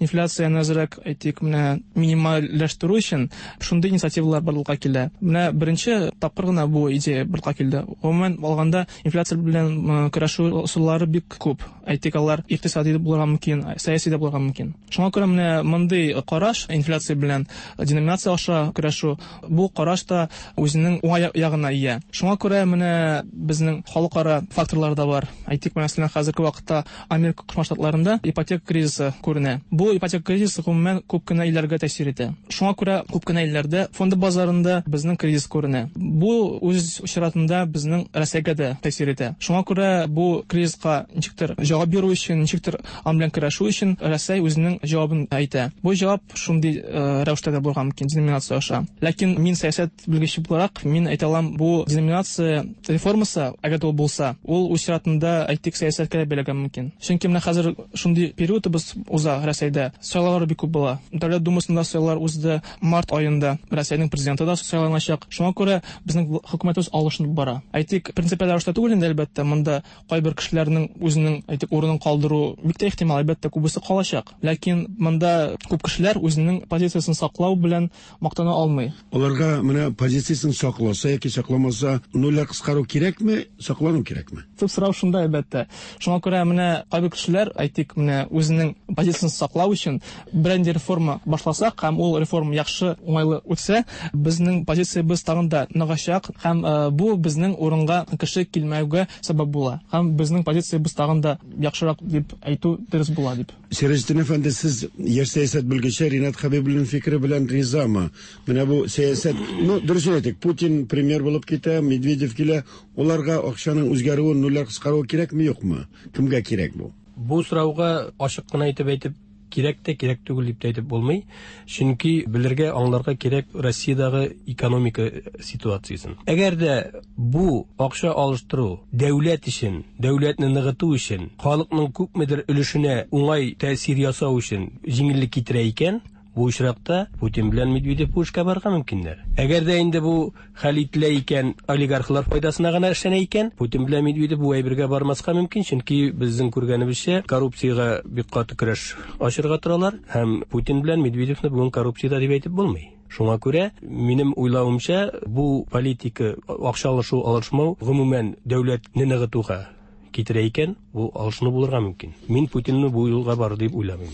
инфляцияне әзрәк, әйтик, менә минимальләштерү өчен шундый инициативалар барлыкка килә. Менә беренче тапкыр гына бу идея барлыкка килде. Гомумән алганда, инфляция белән көрәшү ысуллары бик күп. Әйтик, алар икътисади булырга мөмкин, сәяси дә булырга мөмкин. Шуңа күрә менә мондый караш, инфляция белән деноминация аша көрәшү, бу караш та үзенең уңай ягына ия. Шуңа күрә менә безнең халыкара факторлар да бар. Әйтик, мәсәлән, хәзерге вакытта Америка Кушма Штатларында ипотека кризисы күренә. Бу ипотека кризисы гомумән күп кенә илләргә тәэсир итә. Шуңа күрә күп кенә илләрдә фонд базарында безнең кризис күренә. Бу үз чиратында безнең Рәсәйгә дә тәэсир итә. Шуңа күрә бу кризиска ничектер җавап бирү өчен, ничектер аның белән көрәшү өчен Рәсәй үзенең җавабын әйтә. Бу җавап шундый рәвештә дә булырга мөмкин, деноминация аша. Ләкин мин сәясәт белгече буларак, мин әйтә алам, бу деноминация реформасы, әгәр дә ул булса, ул үз чиратында, әйтик, сәясәткә дә бәйләгән мөмкин. Чөнки менә хәзер шундый периодыбыз уза Рәсәйдә. Сайлаулар бик күп була. Дәүләт Думасында сайлаулар узды март аенда. Рәсәйнең президенты да сайланачак. Шуңа күрә безнең хөкүмәтебез алышынып бара. Әйтик, принципиаль рәвештә түгел инде, әлбәттә, монда кайбер кешеләрнең үзенең, әйтик, урынын калдыру бик тә ихтимал, әлбәттә, күбесе калачак. Ләкин монда күп кешеләр үзенең позициясен саклау белән мактана алмый.
Аларга менә позициясен сакласа яки сакламаса, нольләр кыскару кирәкме, саклану кирәкме?
Төп сорау шунда, әлбәттә. Шуңа күрә менә кайбер кешеләр, әйтик, менә үзенең позициясен саклау өчен бернинди реформа башласак һәм ул реформа яхшы, уңайлы үтсә, безнең позициябез тагын да ныгачак һәм бу безнең урынга кеше килмәүгә сәбәп була. Һәм безнең позициябез тагын да яхшырак дип әйтү дөрес була дип.
Сираҗетдин әфәнде, сез яшь сәясәт белгече Ринат Хабибуллин фикере белән ризамы? Менә бу сәясәт, ну, дөрес әйтик, Путин премьер булып китә, Медведев килә, уларга акчаның үзгәрүе, нольләр кыскаруы кирәкме, юкмы? Кемгә кирәк бу?
Бу сорауга ачык кына әйтеп әйтеп кирәк тә, кирәк түгел дип тә әйтеп булмый. Чөнки белергә, аңларга кирәк Россиядәге экономика ситуациясен. Әгәр дә бу акча алыштыру дәүләт өчен, дәүләтне ныгыту өчен, халыкның күпмедер өлешенә уңай тәэсир ясау өчен җиңеллек китерә икән, бу очракта Путин белән Медведев бу эшкә барырга мөмкиннәр. Әгәр дә инде бу хәл ителә икән, олигархлар файдасына гына эшләнә икән, Путин белән Медведев бу әйбергә бармаска мөмкин, чөнки безнең күргәнебезчә коррупциягә бик каты көрәш ачырга торалар һәм Путин белән Медведевны бүген коррупциядә дип әйтеп булмый. Шуңа күрә, минем уйлавымча, бу политика акча алышу, алышмау, гомумән дәүләтне ныгытуга китерә икән, бу алышыну булырга мөмкин. Мин Путинны бу юлга барды дип уйламыйм.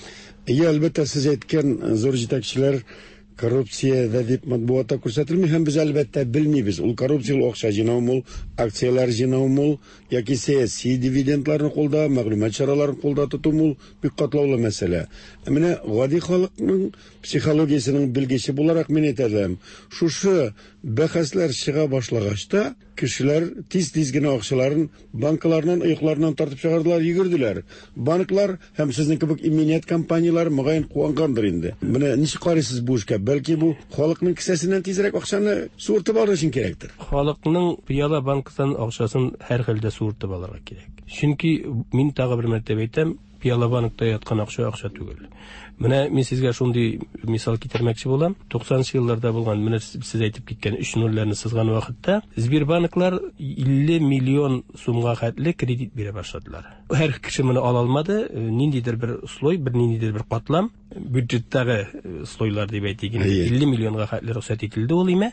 Әйе, әлбәттә, сез әйткән зур җитәкчеләр коррупциядә дип матбугатта күрсәтелми һәм без әлбәттә белмибез. Ул коррупцияле акча җыйнаумы ул, акцияләр җыйнаумы ул, яки сәяси дивидендларны кулда, мәгълүмат чараларын кулда тотумы ул, бик катлаулы мәсьәлә. Ә менә гади халыкның психологиясенең белгече буларак мин әйтә алам, шушы бәхәсләр чыга башлагач та, кешеләр тиз-тиз генә акчаларын банклардан, оекларыннан тартып чыгардылар, йөгерделәр. Банклар һәм сезнең кебек иминият компанияләре мөгаен куангандыр инде. Менә ничек карыйсыз бу эшкә? Бәлки бу халыкның кесәсеннән тизрәк акчаны суыртып алыр өчен кирәктер.
Халыкның пыяла банктан акчасын һәр хәлдә суыртып алырга кирәк. Чөнки мин тагы бер мәртәбә әйтәм, пыяла банкта яткан акча акча түгел. Менә мин сезгә шундый мисал китермәкче булам. туксанынчы елларда булган, менә сез әйтеп киткән өч нольләрне сызган вакытта Сбербанклар илле миллион сумга хәтле кредит бирә башладылар. Һәр кеше моны ала алмады, ниндидер бер слой, бер ниндидер бер катлам, бюджеттагы слойлар дип әйтик инде, илле миллионга хәтле рөхсәт ителде ул име.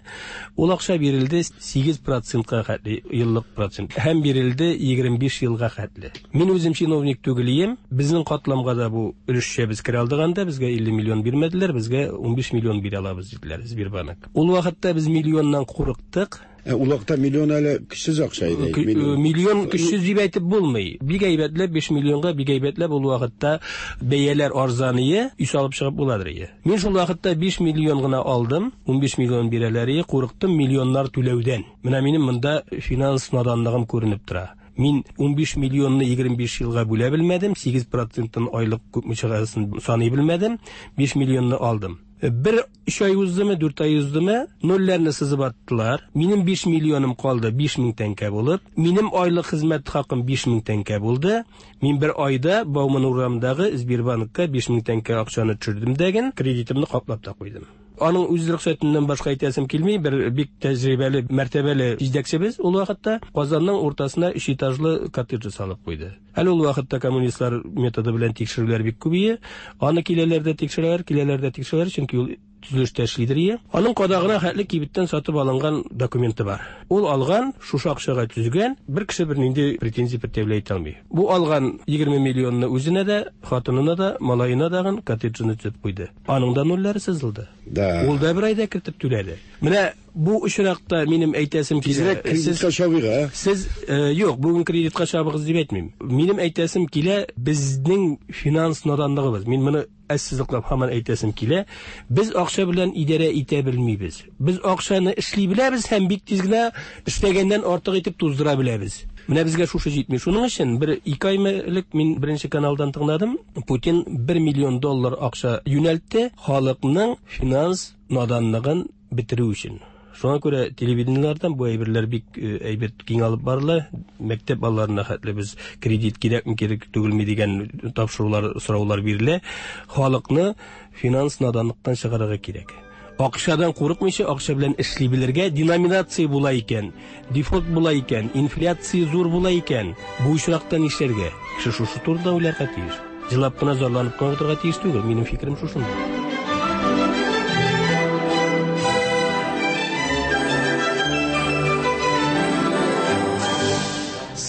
Ул акча бирелде сигез процентка хәтле еллык процент һәм бирелде егерме биш елга хәтле. Мин үзем чиновник түгел идем, безнең катламга да бу өлешчә без керә алдык анда, безгә илле миллион бирмәделәр, безгә унбиш миллион бирә алабыз диделәр Сбербанк. Ул вакытта без миллионнан курыктык.
Ә, ул вакытта миллион әле көчсез акча иде.
Кө-, миллион көчсез дип әйтеп булмый. Бик әйбәтләп биш миллионга бик әйбәтләп ул вакытта бәяләр арзан ие, өй салып чыгып буладыр ие. Мин шул вакытта биш миллион гына алдым, унбиш миллион бирәләр ие, курыктым миллионнар түләүдән. Менә минем монда финанс наданлыгым күренеп тора. Мин унбиш миллионны егерме биш елга бүлә белмәдем, сигез проценттан айлык күпме чыгасын саный белмәдем, биш миллионны алдым. Бер өч ай уздымы, дүрт ай уздымы, нольләрне сызып аттылар. Минем биш миллионым калды, биш мең тәңкә булып. Минем айлык хезмәт хакым биш мең тәңкә булды. Мин бер айда Бауман урамындагы Сбербанкка биш мең тәңкә акчаны төшердем дәген, кредитымны каплап та куйдым. Аның үз рөхсәтеннән башка әйтәсем килми, бер бик тәҗрибәле, мәртәбәле җитәкчебез ул вакытта Казанның уртасына өч этажлы коттедж салып куйды. Әле ул вакытта коммунистлар методы белән тикшерүләр бик күп иде. Аны киләләр дә тикшерәләр, киләләр дә тикшерәләр, чөнки ул төзелештә эшлидер ие. Аның кадагына хәтле кибеттән сатып алынган документы бар. Ул алган, шушы акчага төзегән, бер кеше бернинди претензия предъявлять итә алмый. Бу алган егерме миллионны үзенә дә, хатынына да, малаена дагын коттеджны төзеп куйды. Аның да нольләре сызылды.
Да.
Ул да бер айда кертеп түләде. Менә бу очракта минем әйтәсем килә.
Тизрәк кредитка
Сез
чабыйк, ә?
Сез, э, юк, бүген кредитка чабыгыз дип әйтмим. Минем әйтәсем килә, безнең финанс наданлыгыбыз. Мин моны әссезлыклап һаман әйтәсем килә. Без акча белән идарә итә белмибез. Без акчаны эшли беләбез һәм бик тиз генә эшләгәннән артык итеп туздыра беләбез. Менә безгә шушы җитми. Шуның өчен бер ике ай элек мин беренче каналдан тыңладым. Путин бер миллион доллар акча юнәлтте халыкның финанс наданлыгын бетерү өчен. Шуңа күрә телевидениеләрдән бу әйберләр бик, э, әйбәт киң алып барыла. Мәктәп балаларына хәтле без кредит кирәкме, кирәк түгелме дигән тапшырулар, сораулар бирелә. Халыкны финанс наданлыктан чыгарырга кирәк. Акчадан курыкмыйча, акча белән эшли белергә, деноминация була икән, дефолт була икән, инфляция зур була икән, бу очракта нишләргә? Кеше шушы турыда уйларга тиеш. Җылап кына зарланып кына утырырга тиеш түгел. Минем фикерем шушында.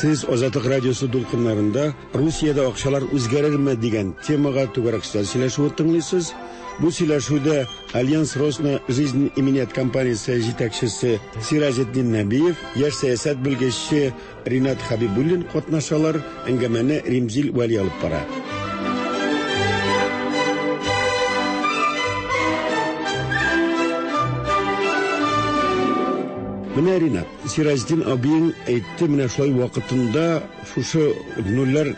Сез Азатлык радиосы дулкыннарында Русиядә акчалар үзгәрерме дигән темага түгәрәк өстәл сөйләшүен тыңлыйсыз. Бу сөйләшүдә Альянс Росна Жизнь иминият компаниясе җитәкчесе Сиражетдин Нәбиев, яшь сәясәт белгече Ринат Хабибуллин катнашалар. Әңгәмәне Римзил Вәли алып бара. Менә Ринат, Сиражетдин абиең әйтте, менә шулай вакытында шушы нольләр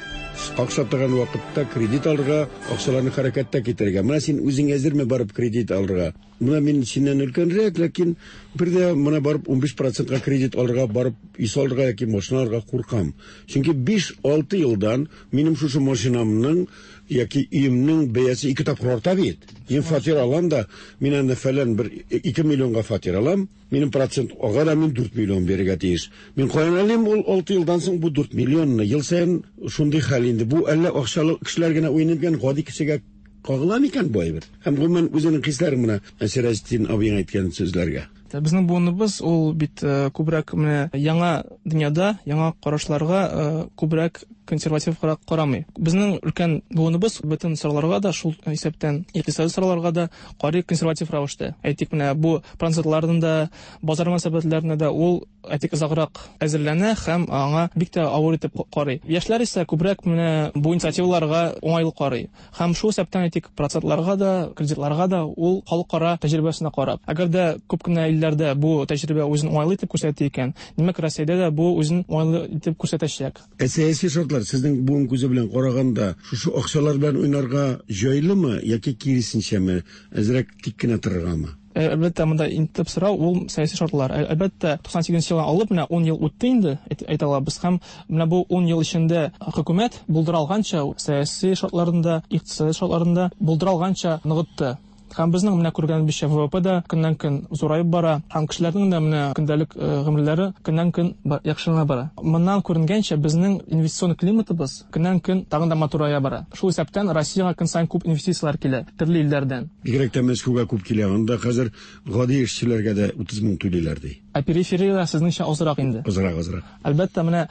акча торган вакытта кредит алырга, акчаларны хәрәкәттә китерергә. Менә син үзең әзерме барып кредит алырга? Менә мин синнән өлкәнрәк, ләкин бер дә менә барып унбиш процентка кредит алырга, барып өй салырга яки машина алырга куркам. Чөнки биш-алты елдан минем шушы машинамның яки өемнең бәясе ике тапкыр арта бит. Мин фатир алам да, мин анда фәлән бер ике миллионга фатир алам, минем процент ага да мин дүрт миллион бирергә тиеш. Мин каян алыйм ул алты елдан соң бу дүрт миллионны? Ел саен шундый хәл инде. Бу әллә акчалы кешеләр генә уйный икән, гади кешегә Кагыла микән бу әйбер? Һәм гомумән үзенең хисләрен менә Сираҗетдин абыең әйткән сүзләргә.
Безнең буыныбыз ул бит күбрәк менә яңа дөньяда, яңа карашларга күбрәк консерватив карамый. Безнең өлкән буыныбыз бөтен сорауларга да, шул исәптән икътисади сорауларга да карый консерватив рәвештә. Әйтик, менә бу процентларның да, базар мөнәсәбәтләренә дә ул әйтик озаграк әзерләнә һәм аңа бик тә авыр итеп карый. Яшьләр исә күбрәк менә бу инициативаларга уңайлы карый. Һәм шул исәптән әйтик процентларга да, кредитларга да ул халыкара тәҗрибәсенә карап. Әгәр дә күп кенә илләрдә бу тәҗрибә үзен уңайлы итеп күрсәтә икән, димәк Россиядә дә бу үзен уңайлы итеп күрсәтәчәк.
Ә сәяси шартлар сезнең буын күзе белән караганда шушы акчалар белән уйнарга җайлымы яки киресенчәме, әзрәк тик кенә торыргамы?
Әлбәттә, монда иң төп сорау ул сәяси шартлар. Әлбәттә, туксан сигезенче елдан алып менә ун ел үтте инде, әйтә алабыз. Һәм менә бу ун ел эчендә хөкүмәт булдыра алганча сәяси шартларын да, икътисади шартларын да булдыра алганча ныгытты. Һәм безнең менә күргәнебезчә вэ вэ пэ дә көннән-көн зураеп бара, һәм кешеләрнең дә менә көндәлек гомерләре көннән-көн яхшырына бара. Моннан күренгәнчә, безнең инвестицион климатыбыз көннән-көн тагын да матурая бара. Шул исәптән Россиягә көн саен күп инвестицияләр килә, төрле илләрдән.
Бигрәк тә Мәскәүгә күп килә. Анда хәзер гади эшчеләргә дә утыз мең түлиләр ди.
Ә периферия сезнеңчә азрак инде.
Азрак, азрак.
Әлбәттә, менә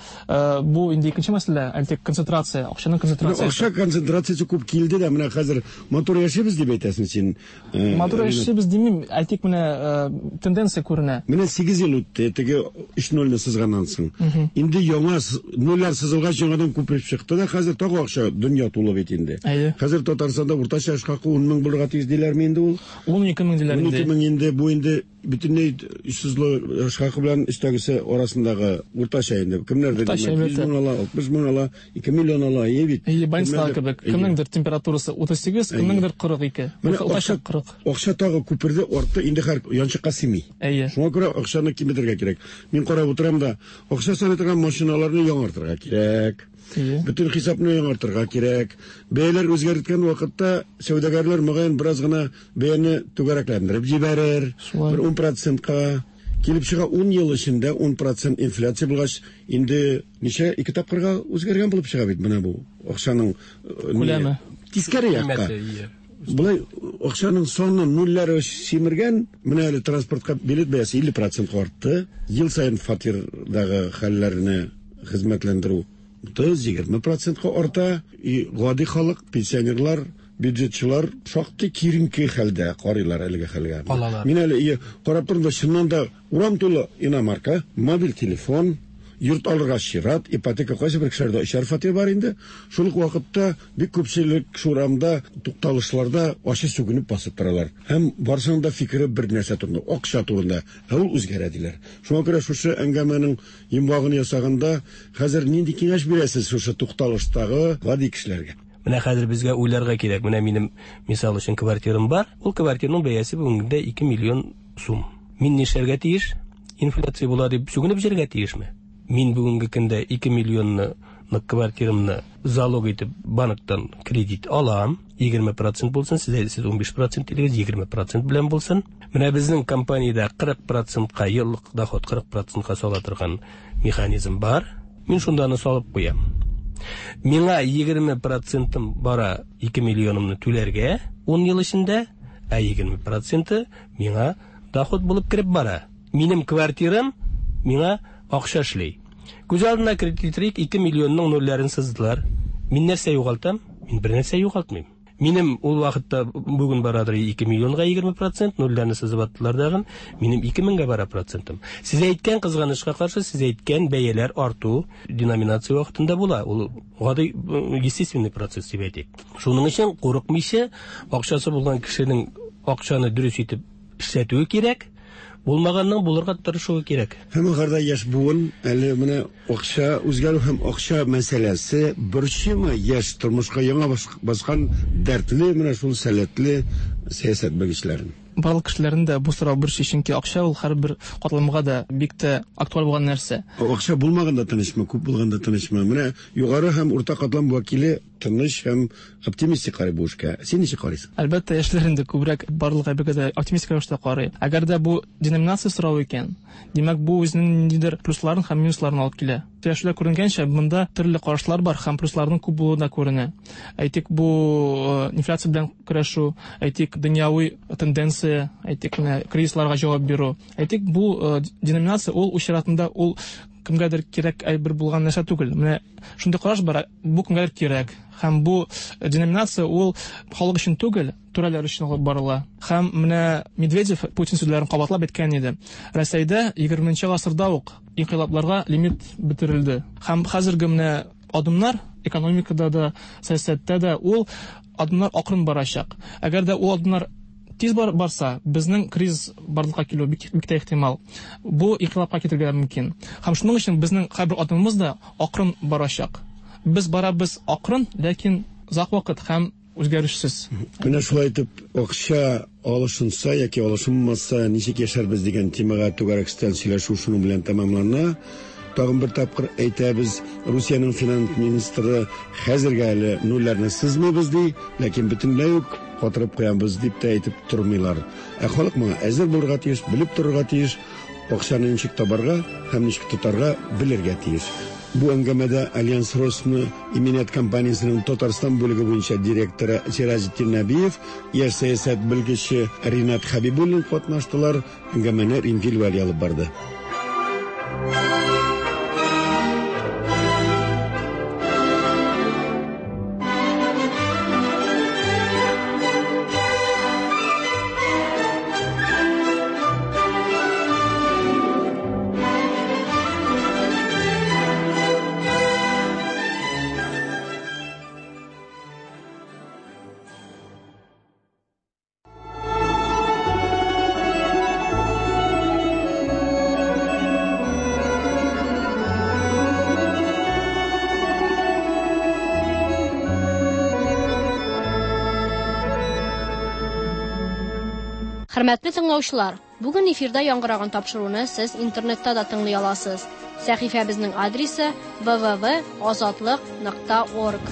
бу инде икенче мәсьәлә, әйтик, концентрация, акчаның концентрациясе.
Акча концентрациясе күп килде дә, менә хәзер матур яшибез дип әйтәсең син.
Матур яшибез димим, әйтик, менә тенденция күренә.
Менә сигез ел үтте, теге өч нольне сызганнан соң. Инде яңа нольләр сызылгач яңадан күпереп чыкты да, хәзер тагы акча дөнья тулы бит инде. Хәзер Татарстанда уртача эш хакы ун мең булырга тиеш диләрме инде ул?
Ун ике мең диләр инде.
Ун ике мең инде, бу инде бөтенләй эшсезлек эш хакы белән өстәгесе арасындагы уртача инде. Кемнәрдер йөз мең ала, алтмыш мең ала, ике миллион ала, әйе бит.
Әйе, больницалар кебек. Кемнеңдер температурасы утыз сигез, кемнеңдер кырык ике. Уртача кырык.
Акча тагы күперде, артты, инде һәр янчыкка сыймый.
Әйе.
Шуңа күрә акчаны киметергә кирәк. Мин карап утырам да, акча саный торган машиналарны яңартырга кирәк. Бөтен хисапны яңартырга кирәк. Бәяләр үзгәрткән вакытта сәүдәгәрләр мөгаен бераз гына бәяне түгәрәкләндереп җибәрер. Бер ун процентка килеп чыга. Ун ел эчендә ун процент инфляция булгач, инде ничә ике тапкырга үзгәргән булып чыга бит менә бу акчаның
күләме.
Тискәре якка. Болай акчаның саны нульләре симергән, менә әле транспортка билет бәясе илле процентка артты. Ел саен фатирдагы хәлләрне хезмәтләндерү утыз, егерме процентка арта. И гади халык, пенсионерлар, бюджетчылар шактый киеренке хәлдә карыйлар әлеге хәлгә. Мин әле карап тордым да, чыннан да урам тулы иномарка, мобиль телефон, йорт алырга чират, ипотека кайсы бер кешеләрдә өчәр фатир бар инде. Шул ук вакытта бик күпчелек шул урамда, тукталышларда ачы сүгенеп басып торалар. Һәм барысының да фикере бер нәрсә турында, акча турында. Ә ул үзгәрә диләр. Шуңа күрә шушы әңгәмәнең йомгагын ясаганда хәзер нинди киңәш бирәсез шушы тукталыштагы гади кешеләргә?
Менә хәзер безгә уйларга кирәк. Менә минем мисал өчен квартирам бар. Ул квартираның бәясе бүгенге көндә ике миллион сум. Мин нишләргә тиеш? Инфляция була дип сүгенеп җөргә тиешме? Мин бүгенге көндә ике миллионны квартирамны залог итеп банктан кредит алам. егерме процент булсын, сез әйтсез ун биш процент дилегез, егерме процент белән булсын. Менә безнең компаниядә кырык процентка еллык доход кырык процентка сала торган механизм бар. Мин шунда аны салып куям. Миңа егерме процентым бара ике миллионымны түләргә ун ел эчендә, ә егерме проценты миңа доход булып кереп бара. Минем квартирам миңа акча эшли. Күз алдына кредитрик ике миллионның нольләрен сыздылар. Мин нәрсә югалтам? Мин бер нәрсә югалтмыйм. Минем ул вакытта бүген барадыр ике миллионга егерме процент, нольләрне сызып аттылар дагын, минем ике меңгә бара процентым. Сез әйткән кызганычка каршы, сез әйткән бәяләр арту деноминация вакытында була. Ул гади естественный процесс дип әйтик. Шуның өчен курыкмыйча, акчасы булган кешенең акчаны дөрес итеп эшләтүе кирәк. Булмаганның булырга тырышуы кирәк.
Һәм ахырда яшь буын әле менә акча үзгәрү һәм акча мәсьәләсе борчымы яшь тормышка яңа баскан дәртле менә шул сәләтле сәясәт белгечләрен?
Барлык кешеләрнең дә бу сорау борчый, чөнки акча ул һәрбер катламга да бик тә актуаль булган нәрсә.
Акча булмаганда тынычмы, күп булганда тынычмы? Менә югары һәм урта катлам вәкиле тыныч һәм оптимистик карый бу эшкә. Син ничек карыйсың?
Әлбәттә, яшьләр инде күбрәк барлык әйбергә дә оптимистик рәвештә карый. Әгәр дә бу деноминация соравы икән, димәк, бу үзенең ниндидер плюсларын һәм минусларын алып килә. Сөйләшүдә күренгәнчә, монда төрле карашлар бар һәм плюсларның күп булуы да күренә. Әйтик, бу инфляция белән көрәшү, әйтик, дөньяви тенденция, әйтик, менә кризисларга җавап бирү. Әйтик, бу деноминация ул үз чиратында ул кемгәдер кирәк әйбер булган нәрсә түгел. Менә шундый караш бар, бу кемгәдер кирәк. Һәм бу деноминация ул халык өчен түгел, түрәләр өчен алып барыла. Һәм менә Медведев Путин сүзләрен кабатлап әйткән иде. Рәсәйдә егерменче гасырда ук инкыйлабларга лимит бетерелде. Һәм хәзерге менә адымнар экономикада да, сәясәттә дә ул адымнар акрын барачак. Әгәр дә ул адымнар тиз бар, барса, безнең кризис барлыкка килү бик, бик тә ихтимал. Бу инкыйлабка китерергә мөмкин. Һәм шуның өчен безнең һәрбер адымыбыз да акрын барачак. Без барабыз акрын, ләкин озак вакыт һәм үзгәрешсез.
Менә шулай итеп, акча алышынса яки алышынмаса, ничек яшәрбез дигән темага түгәрәк өстәл сөйләшү шуның белән тәмамлана. Тагын бер тапкыр әйтәбез, Русиянең финанс министры хәзергә әле нульләрне сызмыйбыз ди, ләкин бөтенләй үк катырып куябыз дип тә әйтеп тормыйлар. Ә халык моңа әзер булырга тиеш, белеп торырга тиеш, акчаны ничек табарга һәм ничек тотарга белергә тиеш. Бу әңгәмәдә Альянс Росны иминият компаниясенең Татарстан бүлеге буенча директоры Сиразетдин Нәбиев, яшь сәясәт белгече Ринат Хәбибуллин катнаштылар. Әңгәмәне Римфил Вәли алып барды.
Хөрмәтле тыңлаучылар, бүген эфирда яңгыраган тапшыруны сез интернетта да тыңлый аласыз. Сәхифәбезнең адресы вэ вэ вэ азатлык нокта орг.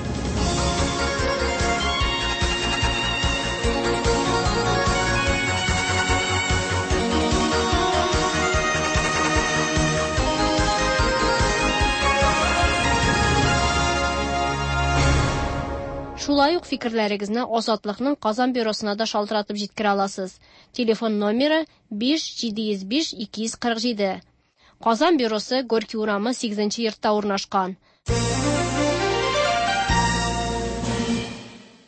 Шулай ук фикерләрегезне Азатлыкның Казан бюросына да шалтыратып җиткерә аласыз. Телефон номеры биш җиде йөз биш ике йөз кырык җиде. Казан бюросы Горький урамы сигезенче йортта урнашкан.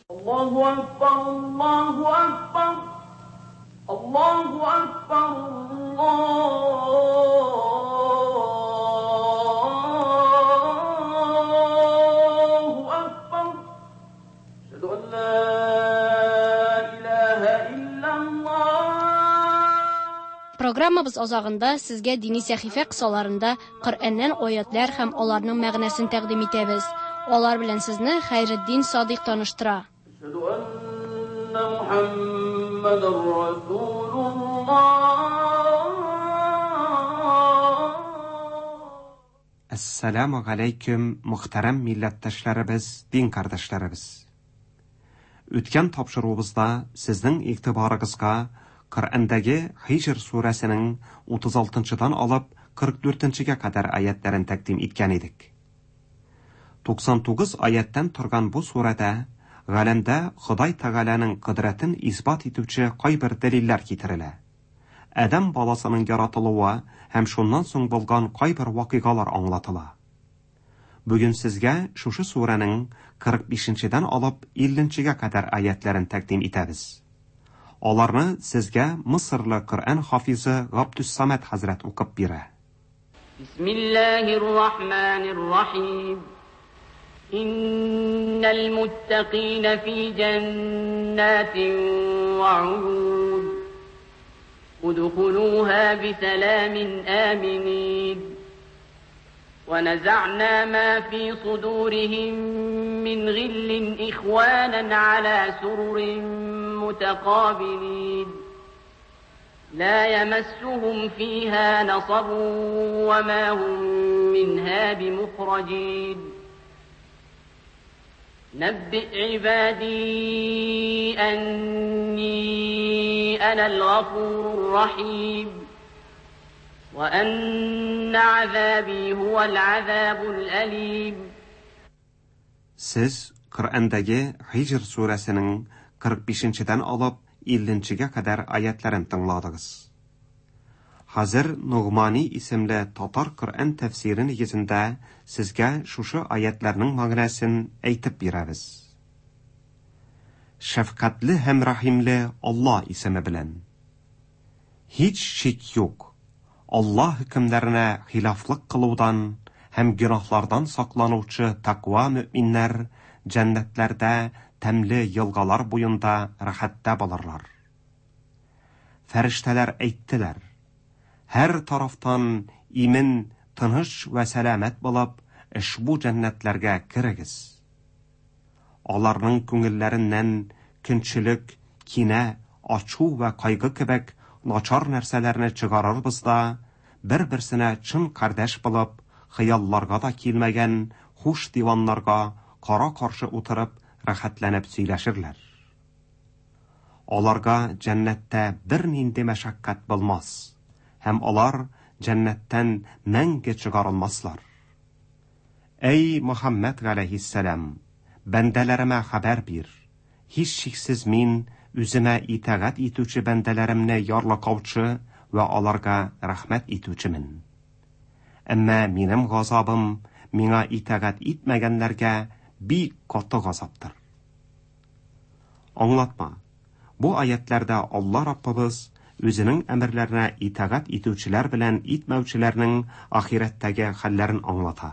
Аллаһу акбар, Аллаһу акбар, Аллаһу акбар, Аллаһу акбар. Әшһәду ан ла илаһа иллаллаһ.
Программабыз азагында сезгә дини сәхифә кысаларында Коръәннән аятлар һәм аларның мәгънәсен тәкъдим итәбез. Алар белән сезне Хәйретдин Садыйк таныштыра.
Әшһәду анна Мухаммадар Расулуллаһ.
Әссәламу алейкум, мөхтәрәм милләттәшләребез, дин кардәшләребез. Үткән тапшыруыбызда сезнең игътибарыгызга Коръәндәге Һиҗр сүрәсенең утыз алтынчыдан алып кырык дүртенчегә кадәр аятларын тәкъдим иткән идек. Туксан тугыз аяттан торган бу сүрәдә галәмдә Ходай Тәгаләнең кодрәтен исбат итүче кайбер дәлилләр китерелә. Адәм баласының яратылуы һәм шуннан соң булган кайбер вакыйгалар аңлатыла. Бүген сезгә шушы сүрәнең кырык бишенчедән алып илленчегә кадәр аятларын тәкъдим итәбез. Аларны сезгә Мисырлы Коръән хафизы Габдус-Самад хәзрәт укып бирә.
Бисмиллаһир-рахманир-рахим. Иннал муттакина фи джаннатин ва уюн. Удхулуха бисаламин аминин. ونزعنا ما في صدورهم من غل إخوانا على سرر متقابلين لا يمسهم فيها نصب وما هم منها بمخرجين نبئ عبادي أني أنا الغفور الرحيم وأن عذابي هو العذاب الأليم.
Сез Коръәндәге Һиҗр сүрәсенең кырык бишенчедән алып илленчегә кадәр аятларын тыңладыгыз. Хәзер Нугмани исемле татар Коръән тәфсире нигезендә сезгә шушы аятларның мәгънәсен әйтеп бирәбез. Шәфкатьле һәм рәхимле Алла исеме белән. Һич шик юк, Алла хөкемнәренә хилафлык кылудан һәм гөнаһлардан сакланучы тәкъва мөэминнәр җәннәтләрдә тәмле елгалар буенда рәхәттә булырлар. Фәрештәләр әйттеләр: һәр тарафтан имен, тыныч вә сәламәт булып, ошбу җәннәтләргә керегез. Аларның күңелләреннән көнчелек, кинә, ачу вә кайгы кебек начар нәрсәләрне чыгарырбыз да, бер-берсенә чын кардәш булып, хыялларга да килмәгән хуш диваннарга кара-каршы утырып, рәхәтләнеп сөйләшерләр. Аларга җәннәттә бернинди мәшәкать булмас, һәм алар җәннәттән мәңге чыгарылмаслар. Әй Мөхәммәд галәйһиссәлам, бәндәләремә хәбәр бир. Һичшиксез мин үземә итагать итүче бәндәләремне ярлыкаучы вә аларга рәхмәт итүчемен. Әмма минем газабым миңа итагать итмәгәннәргә бик каты газаптыр. Аңлатма. Бу аятларда Алла Раббыбыз үзенең әмерләренә итагать итүчеләр белән итмәүчеләрнең ахирәттәге хәлләрен аңлата.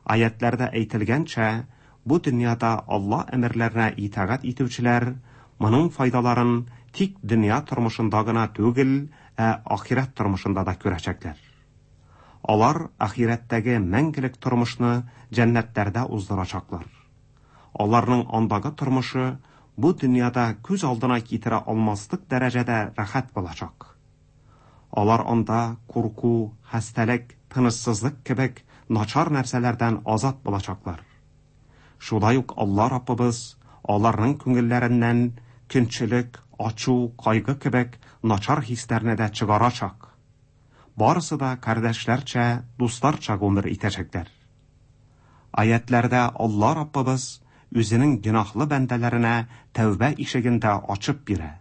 Аятларда әйтелгәнчә, бу дөньяда Алла әмерләренә итагать итүчеләр моның файдаларын тик дөнья тормышында гына түгел, ә ахирәт тормышында да күрәчәкләр. Алар ахирәттәге мәңгелек тормышны җәннәтләрдә уздырачаклар. Аларның андагы тормышы бу дөньяда күз алдына китерә алмаслык дәрәҗәдә рәхәт булачак. Алар анда курку, хәстәлек, тынычсызлык кебек начар нәрсәләрдән азат булачаклар. Шулай ук Алла Раббыбыз аларның күңелләреннән көнчелек, ачу, кайгы кебек начар хисләрне дә чыгарачак. Барысы да кардәшләрчә, дусларча гомер итәчәкләр. Аятларда Алла Раббыбыз үзенең гөнаһлы бәндәләренә тәүбә ишеген дә ачып бирә.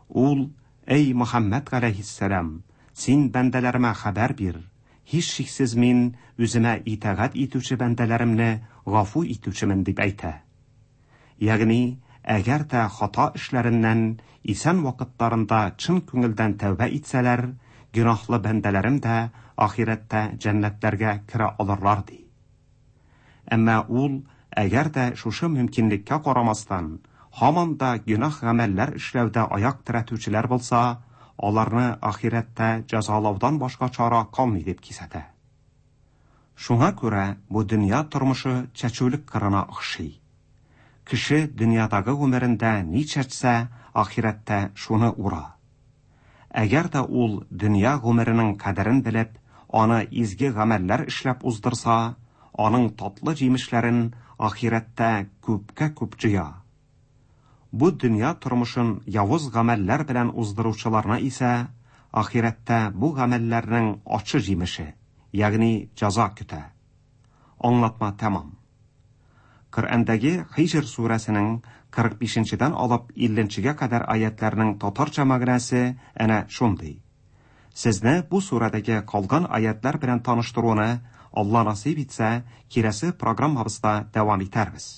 Ул: "Әй Мөхәммәд галәйһиссәлам, син бәндәләремә хәбәр бир. Һичшиксез мин үземә итагать итүче бәндәләремне гафу итүчемен" дип әйтә. Ягъни, әгәр дә хата эшләреннән исән вакытларында чын күңелдән тәүбә итсәләр, гөнаһлы бәндәләрем дә ахирәттә җәннәтләргә керә алырлар ди. Әмма ул, әгәр дә шушы мөмкинлеккә карамастан, һаман да гөнаһ гамәлләр эшләүдә аяк терәтүчеләр булса, аларны ахирәттә җәзалаудан башка чара калмый дип кисәтә. Шуңа күрә бу дөнья тормышы чәчүлек кырына охшый. Кеше дөньядагы гомерендә ни чәчсә, ахирәттә шуны ура. Әгәр дә ул дөнья гомеренең кадерен белеп, аны изге гамәлләр эшләп уздырса, аның татлы җимешләрен ахирәттә күпкә күп җыя. Бу дөнья тормышын явыз гамәлләр белән уздыручыларны исә ахирәттә бу гамәлләрнең ачы җимеше, ягъни җәза көтә. Аңлатма тәмам. Коръәндәге Һиҗр сүрәсенең кырык бишенчедән алып илленчегә кадәр аятларның татарча мәгънәсе әнә шундый. Сезне бу сүрәдәге калган аятлар белән таныштыруны Алла насыйп итсә, киләсе программабызда дәвам итәрбез.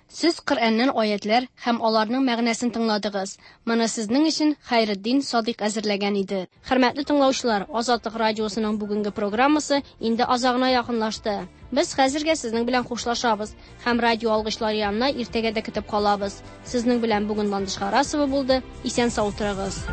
Сез Коръәннән аятлар һәм аларның мәгънәсен тыңладыгыз. Моны сезнең өчен Хәйретдин Садыйк әзерләгән иде. Хөрмәтле тыңлаучылар, Азатлык радиосының бүгенге программасы инде азагына якынлашты. Без хәзергә сезнең белән хушлашабыз һәм радио алгычлар янына иртәгә дә көтеп калабыз. Сезнең белән бүген Ландыш Харасова булды. Исән сау торыгыз.